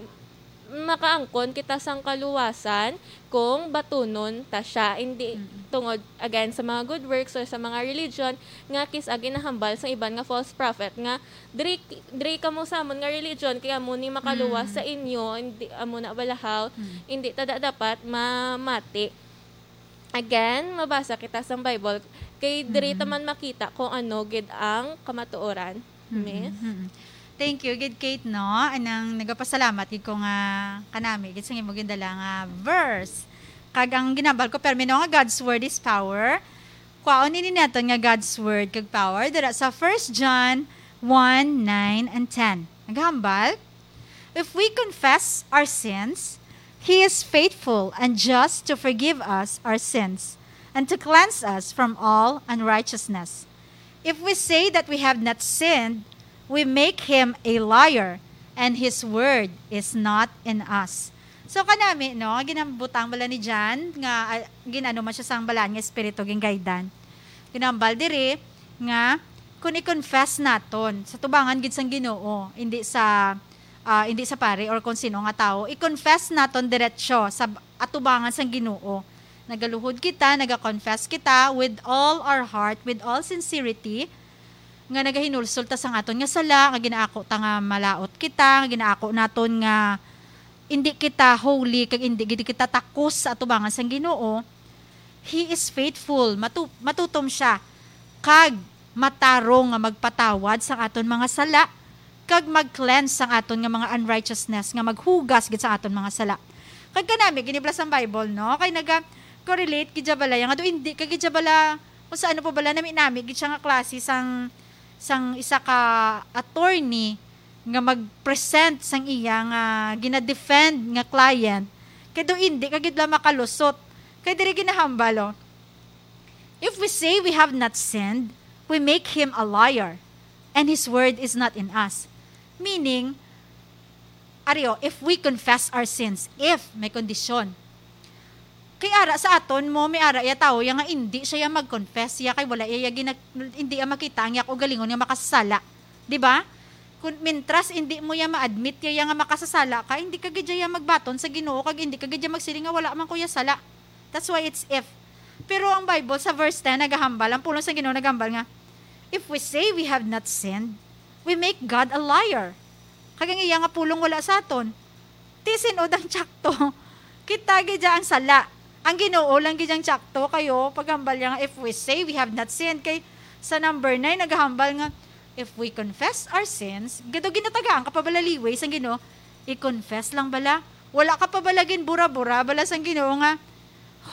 makaangkon kita sang kaluwasan kung batunon ta siya, hindi Mm. tungod, again, sa mga good works or sa mga religion nga kis-a ginahambal sang iban nga false prophet nga, "Diri, diri kamo sa amon nga religion, kay amo ni makaluwas Mm. sa inyo, hindi, amo na balahaw, Mm. hindi ta da-, dapat mamati." Again, mabasa kita sang Bible, kay diri ta Mm. man makita kung ano gid ang kamatuoran. Mm, Miss? mm. Thank you gid, Kate, no? Anang nagapasalamat gid ko nga kanami gid sa imo gindala nga verse. Kag ang ginambal ko, permi, no, nga God's word is power. Kwaon ini naton nga God's word kag power dira sa First John one, nine and ten. Naghambal, "If we confess our sins, He is faithful and just to forgive us our sins and to cleanse us from all unrighteousness. If we say that we have not sinned, we make Him a liar, and His word is not in us." So, kanami, no, ginabutang bala ni John nga, ah, gin-ano man siya sang balaan nga espiritu, gin-guidean. Ginambal diri nga kung i-confess naton sa tubangan gid sang Ginoo, hindi sa, ah, hindi sa pari or kung sino nga tawo, i-confess naton diretso sa b-, atubangan sang Ginoo. Nagaluhod kita, naga-confess kita with all our heart, with all sincerity, nga nagahinulsol ta sang aton nga sala, nga ginaako ta nga malaut kita, nga ginaako naton nga indi kita holy, kag indi gid kita takos sa atubangan sang Ginoo, He is faithful, matu-, matutom siya, kag matarong nga magpatawad sang aton mga sala, kag mag-cleanse sang aton nga mga unrighteousness, nga maghugas gid sa aton mga sala. Kag kanami, giniblas ang Bible, no? Kay naga-correlate gid siya bala, nga do indi ka gid siya bala, kung sa ano pa bala, nami-nami gid siya nga klase sang, sang isa ka attorney nga mag-present sang iya nga gina-defend nga client, kay do indi ka gid la makalusot. Kay diri ginahambal, oh, "If we say we have not sinned, we make him a liar, and his word is not in us." Meaning, ari, oh, if we confess our sins, if may kondisyon. Kay ara sa aton mo, may ara iya tawo iya nga indi siya iya mag-confess iya kay wala iya, iya gina-, indi iya makita ang iya kaugalingon nga makasasala. Di ba? Kung mintras indi mo iya ma-admit iya, iya nga makasasala ka, hindi ka gid iya magbaton sa Ginoo kag hindi ka gid iya magsiling nga wala man ko iya sala. That's why it's if. Pero ang Bible sa verse ten nagahambal, ang pulong sa Ginoo nagahambal nga, "If we say we have not sinned, we make God a liar." Kag ang iya nga pulong wala sa aton. Ti sin-od ang tsakto? Kita gid ang sala. Ang Ginoo lang gid ang tsakto kayo paghambal niya nga, "If we say we have not sinned," kay sa number nine nagahambal nga, "If we confess our sins," gado ginatagaan ka pa bala liway sang Ginoo, i-confess lang bala. Wala ka pa bala gin bura-bura bala sang Ginoo nga,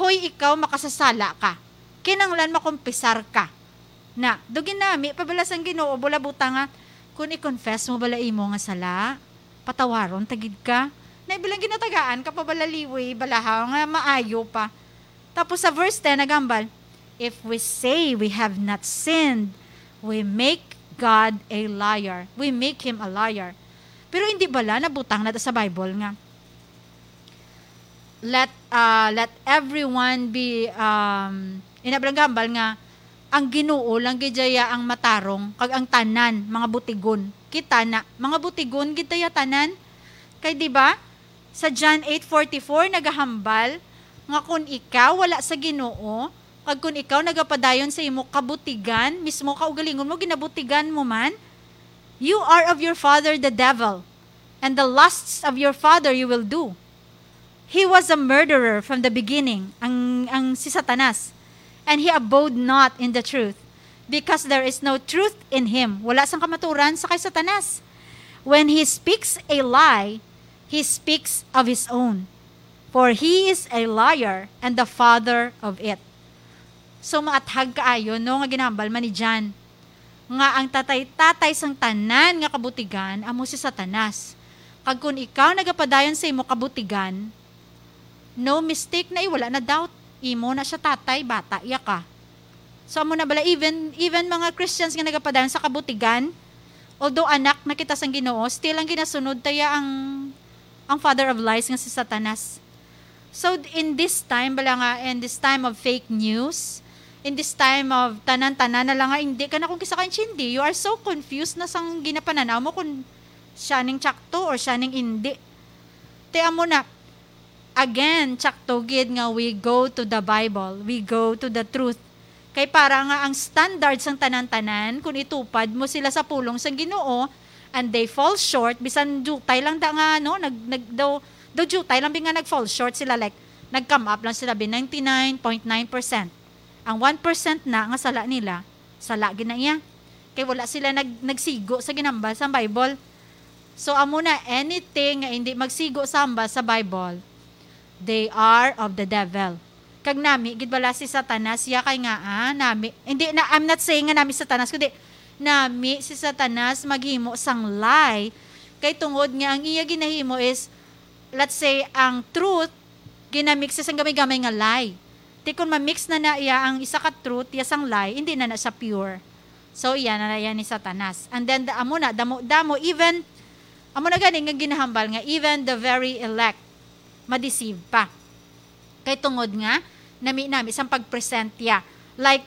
"Hoy, ikaw makasasala ka. Kinanglan makumpisar ka." Na, do ginami pa bala sang Ginoo, bula butang nga, "Kung i-confess mo bala imo nga sala, patawaron ta gid ka." Na, bilang ginatagaan ka pa bala liway, balahaw nga maayo pa. Tapos sa verse ten, nagambal, "If we say we have not sinned, we make God a liar. We make him a liar." Pero hindi bala nabutang na sa Bible nga, "Let, ah, let everyone be," um, ina, bilang gambal nga, "Ang Ginoo lang gid iya ang matarong, kag ang tanan mga butigon." Kita na, mga butigon gid ta iya tanan. Kay, di ba, sa John eight forty-four nagahambal nga, "Kun ikaw wala sa Ginoo, kag kun ikaw nagapadayon sa imo kabutigan, mismo kaugalingon mo, ginabutigan mo man, you are of your father the devil, and the lusts of your father you will do." He was a murderer from the beginning, ang, ang si Satanas. And he abode not in the truth, because there is no truth in him. Wala sang kamaturan sa kay Satanas. When he speaks a lie, he speaks of his own. For he is a liar and the father of it. So, maathag kaayo, no, nga ginahambal man ni John, nga ang tatay-tatay sang tanan nga kabutigan amo si Satanas. Kag kun ikaw nagapadayon sa imo kabutigan, no mistake na, eh, wala na doubt. Imo na siya tatay, bata iya ka. So, amo na bala, even, even mga Christians nga nagapadayon sa kabutigan, although anak na kita sang Ginoo, still ang ginasunod taya ang, ang father of lies nga si Satanas. So, in this time, bala nga, in this time of fake news, in this time of tanan-tanan na lang nga, hindi ka na kung kisa kaintindi, you are so confused na sang ginapananaw mo kung siya ning tsakto or siya ning indi. Te, amo na, again, tsakto gid nga we go to the Bible, we go to the truth. Kay para nga ang standard sang tanan-tanan, kung itupad mo sila sa pulong sang Ginoo, and they fall short, bisan diutay lang da nga, no, nag, nag, daw, daw diutay lang bi nga nag-fall short sila, like, nag-come up lang sila bi ninety-nine point nine percent. Ang one percent na nga sala nila, sala gid na iya. Kay wala sila nag, nagsigo sa ginhambal sa Bible. So, amo na, anything nga hindi magsigo sa hambal sa Bible, they are of the devil. Kag nami gid bala si Satanas, ya kay nga, ah, nami, hindi na, I'm not saying nga nami si Satanas, kundi nami si Satanas maghimo sang lie. Kay tungod nga ang iya ginahimo is, let's say, ang truth, ginamix sa isang gamay-gamay nga lie. Ti kun ma-mix na na iya ang isa ka truth, iya sang lie, hindi na na siya pure. So, iya na na yan ni Satanas. And then, the, amo na, damo-damo, even, amo na gani nga ginahambal nga, even the very elect, ma-deceive pa. Kay tungod nga, nami-nami sang pag-present ya. Like,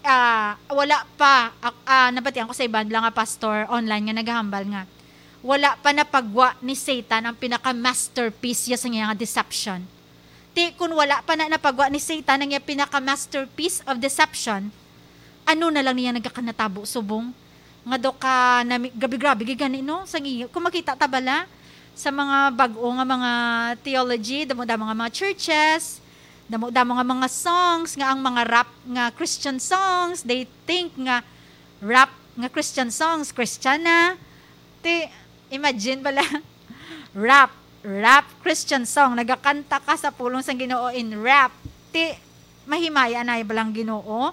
ah, wala pa, ah, ah, nabatian ko sa iban lang nga pastor online nga nagahambal nga, wala pa napagwa ni Satan ang pinaka-masterpiece ya sa iya nga deception. Ti, kun wala pa na napagwa ni Satan ang iya pinaka-masterpiece of deception, ano na lang niya nagkakanatabo subong? Nga daw ka nami-, grabe-grabe gid gani, no? Sa ngi-, kung makita ta bala sa mga bag-o nga mga theology, damo-damo nga mga churches, damo-damo nga mga songs, nga ang mga rap nga Christian songs, they think nga rap nga Christian songs, Christian na. Ti, imagine bala, rap, rap Christian song, nagakanta ka sa pulong sang Ginoo in rap. Ti, mahimaya na bala ang Ginoo?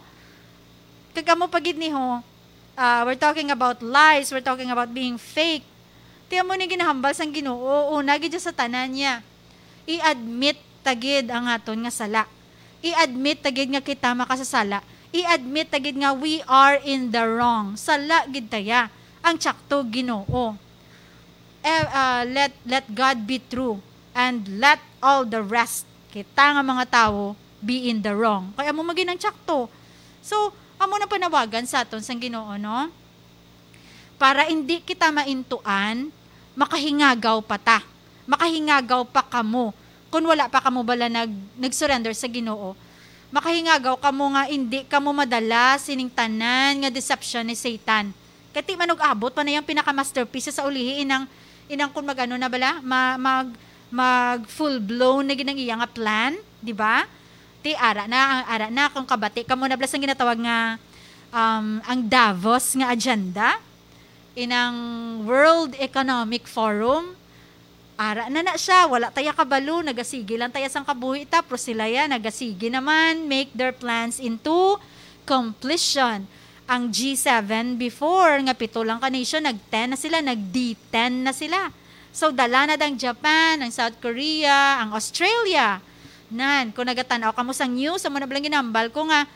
Kag amo pa gid ni ho, ah, we're talking about lies, we're talking about being fake. Ti amo ni ginahambal sang Ginoo, una gid sa tanan niya. I-admit ta gid ang aton nga sala. I-admit ta gid nga kita makasasala. I-admit ta gid nga we are in the wrong. Sala gid taya. Ang tsakto, Ginoo. Eh, ah, let, let God be true and let all the rest, kita nga mga tawo, be in the wrong. Kay amo magin ang tsakto. So, amo na panawagan sa aton sang Ginoo, no? Para indi kita maintuan, makahingagaw pa ta. Makahingagaw pa kamo. Kun wala pa kamo bala nag-, nag-surrender sa Ginoo, makahingagaw kamo nga indi kamo madala sining tanan nga deception ni Satan. Kay ti man og abot pa na yang pinaka-masterpiece sa ulihi, inang, inang kun mag-ano na bala, ma-, mag, mag full blown na gid ang iya nga plan, di ba? Ti ara na, ara na, kung kabati kamo na bala sang ginatawag nga, um, ang Davos nga agenda, inang World Economic Forum, ara na na siya, wala taya kabalo, nagasigi lang taya sang kabuhi ta, pero sila ya, nagasigi naman, make their plans into completion. Ang G seven before, nga pito lang ka nation, nag-ten na sila, nag-D ten na sila. So, dala na ang Japan, ang South Korea, ang Australia. Nan, kung nagatan-aw kamo sa news, amo na bala ang ginambal ko nga,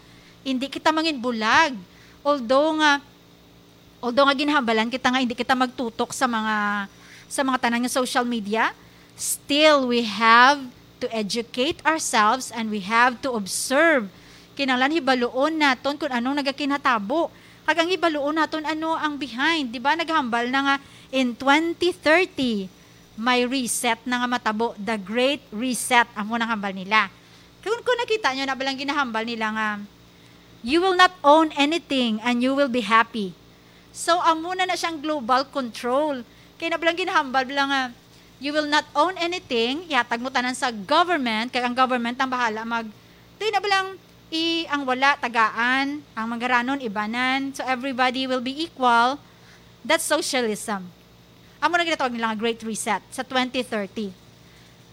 hindi kita mangin bulag. Although nga, although nga ginahambalan kita nga hindi kita magtutok sa mga, sa mga tanan nga social media, still we have to educate ourselves and we have to observe. Kinahanglan hibaluon naton kung anong nagakinatabo. Kag ang hibaluon naton ano ang behind, di ba? Naghambal na nga in twenty thirty, may reset na nga matabo, the great reset, amo nang hambal nila. Kung, kung nakita nyo na balang ginahambal nila nga, "You will not own anything and you will be happy." So, amo na na siyang global control. Kay na balang ginahambal bala nga, You will not own anything. Ihatag mo tanan sa government, kay ang government ang bahala mag, di na ba lang, i-, ang wala, tagaan, ang magaranon, ibanan. So everybody will be equal. That's socialism. Amo na ginatawag nila nga Great Reset sa twenty thirty.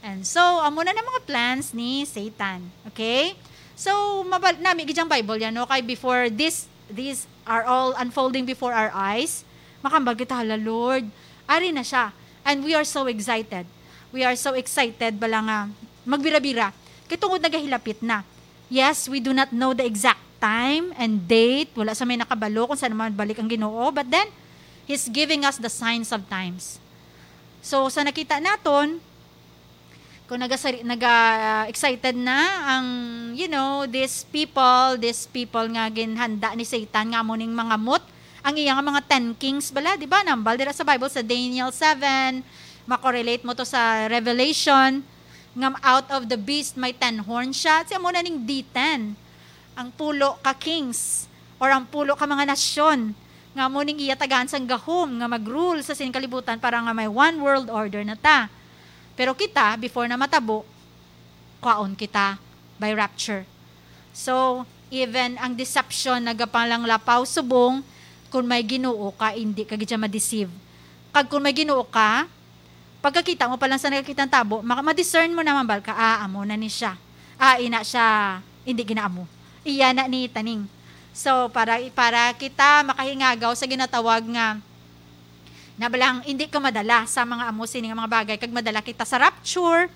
And so, amo na na mga plans ni Satan. Okay? So, mabal nami gid ang Bible yan, no? Kay before this, these are all unfolding before our eyes, makambal kita, "Hala, Lord, ari na siya." And we are so excited. We are so excited bala nga magbira-bira. Kay tungod nagahilapit na. Yes, we do not know the exact time and date. Wala sa may nakabalo kung saan man balik ang Ginoo. But then, He's giving us the signs of times. So, sa nakita naton, kung nagasari-, naga-, excited na ang, you know, these people, these people nga ginhanda ni Satan nga amo ning mangamot, ang iya nga mga ten kings bala, di ba? Nambal dira sa Bible sa Daniel seven, makorelate mo to sa Revelation, nga out of the beast may ten horns siya. Siya mo na ning D ten, ang pulo ka kings or ang pulo ka mga nasyon nga mo ning iya tagaan sang gahom nga mag-rule sa sining kalibutan para nga may one world order na ta. Pero kita, before na matabo, kwaon kita by rapture. So, even ang deception nagapalanglapaw subong, kung may Ginoo ka, hindi ka gid siya ma-deceive. Kag kung may Ginoo ka, pagkakita mo pa lang sa nagakitang tabo, maka-, ma-discern mo naman bal ka, "Ah, amo na ni siya. Ah, ina siya, hindi ginaamo. Iya na ni taning." So, para, para kita makahingagaw sa ginatawag nga, na balang hindi ka madala sa mga amo sini nga mga bagay, kag madala kita sa rapture,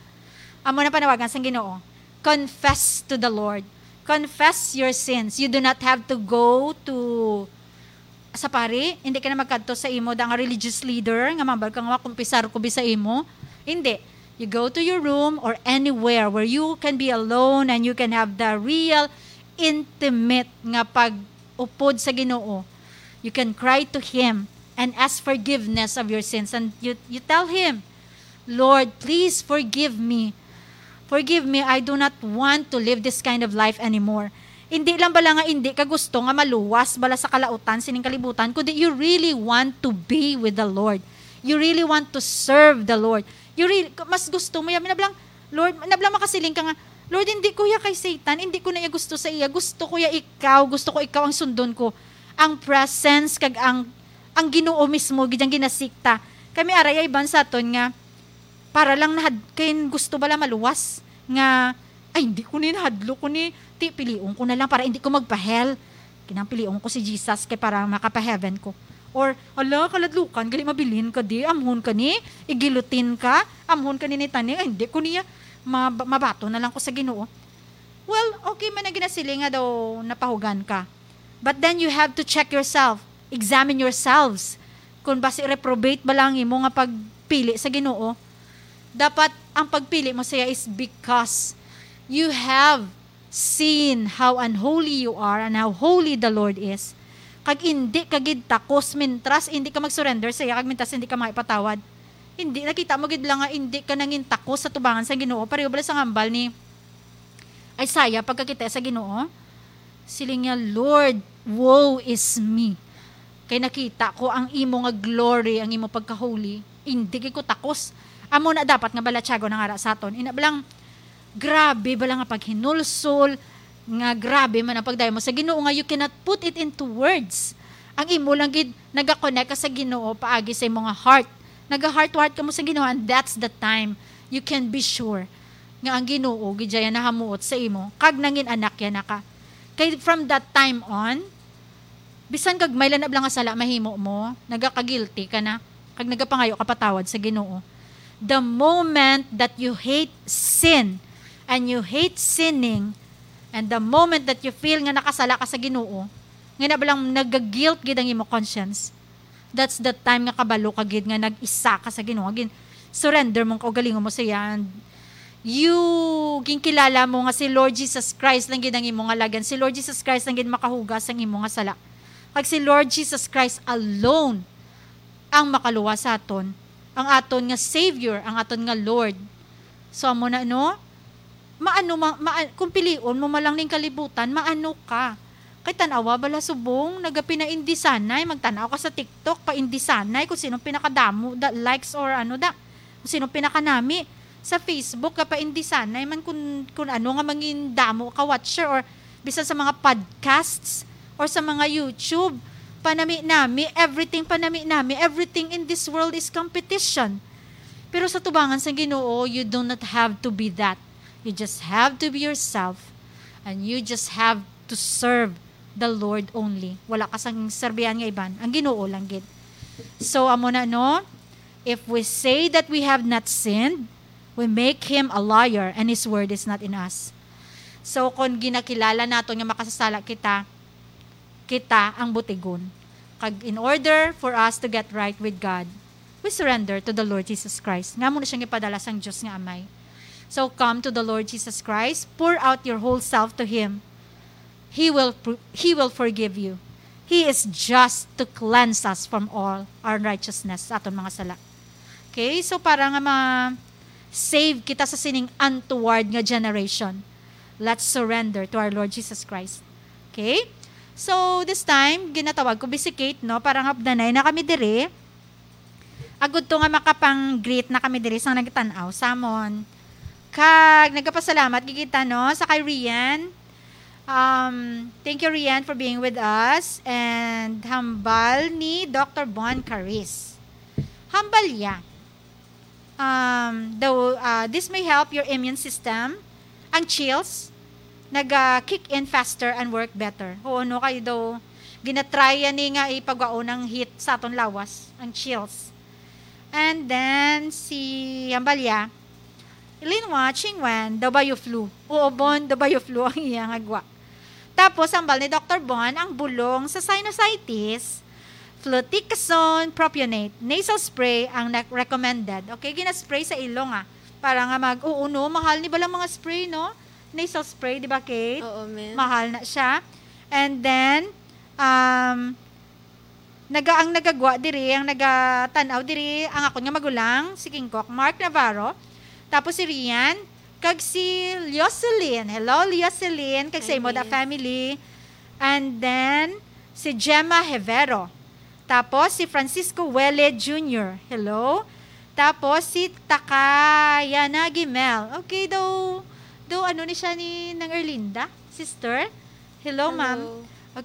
amo na panawagan sang Ginoo. Confess to the Lord. Confess your sins. You do not have to go to sa pari, hindi ka na magkadto sa imo da nga religious leader nga mambal ka nga makumpisar ko bi sa imo. Hindi. You go to your room or anywhere where you can be alone and you can have the real intimate nga pag-upod sa Ginoo. You can cry to Him and ask forgiveness of your sins. And you, you tell Him, "Lord, please forgive me. Forgive me, I do not want to live this kind of life anymore." Hindi lang bala nga hindi ka gusto nga maluwas bala sa kalautan sining kalibutan, kundi you really want to be with the Lord. You really want to serve the Lord. You really, mas gusto mo yan. Minablang, Lord, nablang makasiling ka nga, "Lord, hindi ko ya kay Satan, hindi ko na iya gusto sa iya. Gusto ko ya ikaw, gusto ko ikaw ang sundon ko." Ang presence kag ang, ang Ginoo mismo, gid ang ginasikta. Kami aray ay ban sa aton nga, para lang nahad-, kay gusto bala maluwas nga, "Ay, hindi ko ni nahadlok ko ni, ti, pilion ko na lang para hindi ko magpa-hell. Kinang pilion ko si Jesus kay para makapa-heaven ko." Or, "Ala, kaladlukan, gali mabilin ka di, amhon ka ni, igilutin ka, amhon ka ni ni taning, ay, hindi ko niya, mab-, mabato na lang ko sa Ginoo." Well, okay man ang ginasiling nga daw napahugan ka. But then you have to check yourself, examine yourselves, kung basi reprobate ba lang imo nga pagpili sa Ginoo. Dapat ang pagpili mo siya is because you have seen how unholy you are and how holy the Lord is. Kag indi ka gid takos mintras indi ka mag-surrender sa iya, kag mintras indi ka maipatawad. Hindi, nakita mo gid lang nga indi ka nangin takos sa tubangan sa Ginoo. Pareho bala sa hambal ni Isaiah pagkakita sa Ginoo? Siling niya, "Lord, woe is me. Kay nakita ko ang imo nga glory, ang imo pagka-holy. Indi gid ko takos." Amo na dapat nga balatyagon ang ara sa aton. Ina balang, grabe bala nga paghinulsol, nga grabe man ang pagdaymo sa Ginoo nga you cannot put it into words. Ang imo lang gid, naga-connect ka sa Ginoo paagi sa imo nga heart. Naga-heart to heart ka mo sa Ginoo, and that's the time you can be sure nga ang Ginoo gid siya nahamuot sa imo, kag nangin anak ya na ka. Kay from that time on, bisan gagmay lang na bala nga sala mahimo mo, nagaka-guilty ka na, kag nagapangayo ka patawad sa Ginoo. The moment that you hate sin, and you hate sinning, and the moment that you feel nga nakasala ka sa Ginoo, nga na balang nagaguilt gid ang imo conscience, that's the time nga kabalo ka gid nga nag-isa ka sa Ginoo. Gin-, surrender mo ang kaugalingon mo sa iya. And you, ginkilala mo nga si Lord Jesus Christ lang gid ang imo nga lagyan. Si Lord Jesus Christ lang gid makahugas ang imo nga sala. Kag si Lord Jesus Christ alone ang makaluwas sa aton, ang aton nga Savior, ang aton nga Lord. So, amo na, no? Maano ma-, ma-, kung pilion mo man lang ning kalibutan, maano ka? Kay tan-awa bala subong, nagapinaindisanay, magtan-aw ka sa TikTok, paindisanay kung sinong pinakadamo, da, likes or ano da. sino pinakanami sa Facebook, kapaindisanay man kun, kun ano nga mangin damo ka watcher, or bisan sa mga podcasts or sa mga YouTube. Panami-nami, everything panami-nami, everything in this world is competition. Pero sa tubangan sang Ginoo, you do not have to be that. You just have to be yourself, and you just have to serve the Lord only. Wala ka sang serbihan nga iban. Ang Ginoo lang gid. So, amo na, no? If we say that we have not sinned, we make him a liar, and his word is not in us. So, kung ginakilala nato nga makasasala kita, kita ang butigon. Kag in order for us to get right with God, we surrender to the Lord Jesus Christ. Nga mo na siya ipadala sang Diyos nga Amay. So, come to the Lord Jesus Christ, pour out your whole self to Him. He will pr-, He will forgive you. He is just to cleanse us from all our righteousness, sa aton mga sala. Okay? So, para nga ma-save kita sa sining untoward nga generation, let's surrender to our Lord Jesus Christ. Okay? So, this time, ginatawag ko, Bisi Kate, no? Para nga updanay na kami diri. Agud to nga makapang-greet na kami diri sang nagtan-aw samon. Kag nagapasalamat gid kita, no, sa kay Rian. Um, thank you, Rian, for being with us. And hambal ni Doctor Bon Caris. Hambal ya. Um, daw, uh, this may help your immune system. Ang chills, naga-kick in faster and work better. Oo, no, kay daw, ginatrya ni nga ipagwaon ang heat sa aton lawas, ang chills. And then, si Ambalia, Linwa, Chingwan, daw ba you flu? Oo, Bon, daw ba you flu ang iya nga gwa. Tapos, hambal ni Doctor Bon, ang bulong sa sinusitis, fluticasone propionate, nasal spray ang na-, recommended. Okay, ginaspray sa ilong, ah. Para nga mag-, oo, no, mahal ni balang mga spray, no? Nasal spray, di ba, Kate? Oo, ma'am. Mahal na siya. And then, um, naga-, ang nagagwa diri, ang nagatan-aw diri, ang akon nga magulang, si King Kok, Mark Navarro. Tapos si Rian, kag si Leocelyn. Hello, Leocelyn, kag sa Hi, imo da Miss. Family. And then, si Gemma Hevero. Tapos, si Francisco Wele Junior. Hello. Tapos, si Takayana Gimel. Okay, daw, daw, ano ni siya ni Nang Erlinda? Sister? Hello, Hello. Ma'am.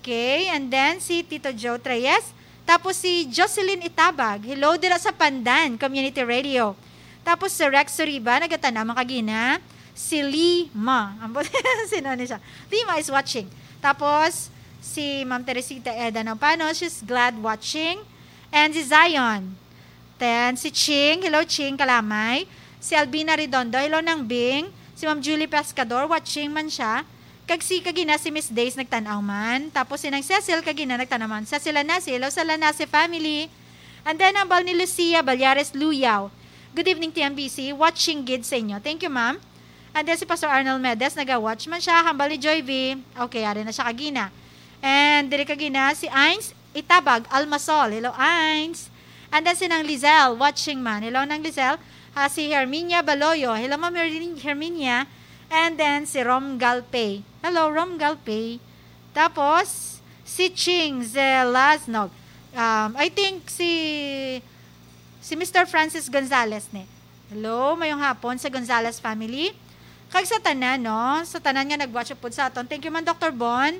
Okay, and then si Tito Joe Treyes. Tapos si Jocelyn Itabag. Hello, dira sa Pandan Community Radio. Tapos si Rex Suriba, nagatan-aw man kagina. Si Lima. Ang bu-, sino ni siya? Lima is watching. Tapos, si Ma'am Teresita Eda Nampano, she's glad watching. And si Zion. Then, si Ching. Hello, Ching Kalamay. Si Albina Redondo. Hello, Nang Bing. Si Ma'am Julie Pescador, watching man siya. Kag si kagina, si Miss Days nagtan-aw man. Tapos si Nang Cecil kagina nagtan-aw man. Cecil Lanasi. Hello sa Lanasi family. And then, hambal ni Lucia Balyares Luyaw. Good evening, T M B C. Watching gid sa inyo. Thank you, ma'am. And then, si Pastor Arnold Medes, naga-watch man siya. Hambal ni Joy V. Okay, ari na siya kagina. And diri kagina, si Ains Itabag Almasol. Hello, Ains. And then, si Nang Lizelle, watching man. Hello, Nang Lizelle. Ah, si Herminia Baloyo. Hello, Ma'am Hermin-, Herminia. And then, si Rom Galpay. Hello, Rom Galpay. Tapos, si Ching Zelaznog. Um, I think si, si Mister Francis Gonzalez ni. Hello, mayong hapon sa Gonzalez family. Kag sa tanan, no? Sa tanan nga nag-watch upod sa aton. Thank you man, Doctor Bon.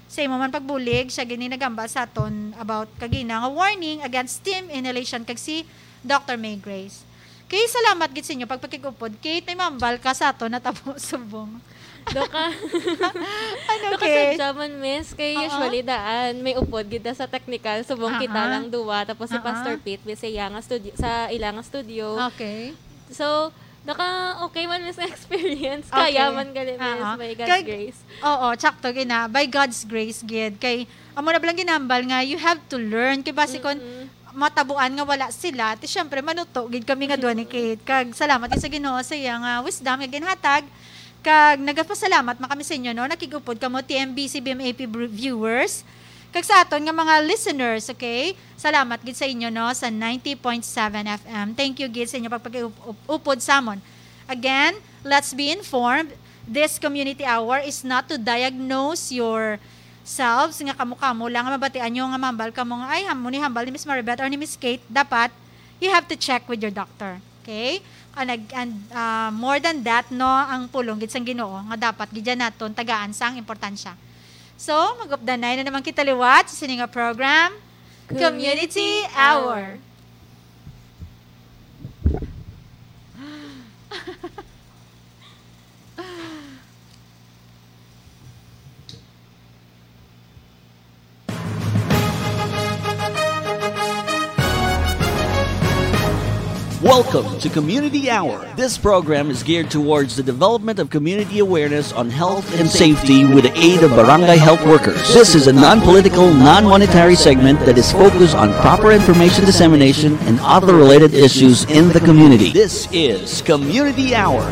Sa imo man pagbulig, siya gini nagambal sa aton about kagina nga warning against steam inhalation kag si Doctor May Grace. Kay salamat gid sa inyo pagpakig-upod. Kate, may mambal ka sa aton natabo subong. Doka. Ano, Doka Kate? Sadya man, miss. Kay Oo. Usually, daan, may upod gid sa technical. Subong kita Aha. lang duwa. Tapos si Aha. Pastor Pete, miss, sa iya nga studio, sa ila nga studio. Okay. So, naka, okay man, miss, nga experience. Okay. Kaya man gali, miss, Oo. by God's Kag, grace. Oo, tsakto, gina. By God's grace, gid. Kay, amo na balang ginambal nga, you have to learn. Kay basi kon Mm-mm. matabuan nga wala sila, ti syempre, manuto gid kami nga duha ni Kate. Kag salamat gid sa Ginoo sa iya nga wisdom nga ginhatag. Kag nagapasalamat man kami sa inyo, no? Nakig-upod kamo, T M B C, B M A P br-, viewers. Kag sa aton nga mga listeners, okay? Salamat gid sa inyo, no, sa ninety point seven F M. Thank you gid sa inyo pagpag-up-, up-, upod samon. Again, let's be informed. This community hour is not to diagnose yourselves, nga kamo-kamo lang nga mabatian nyo nga mambal kamo nga, "Ay, ham-, mo ni hambal ni Miss Maribeth or ni Miss Kate." Dapat, you have to check with your doctor. Okay? And, ag- and ah, more than that, no, ang pulong gid sang Ginoo nga dapat gid naton tagaan sang importansya. So, mag-updanay na naman kita liwat sa sini nga program, Community Hour. Welcome to Community Hour. This program is geared towards the development of community awareness on health and safety with the aid of barangay health workers. This is a non-political, non-monetary segment that is focused on proper information dissemination and other related issues in the community. This is Community Hour.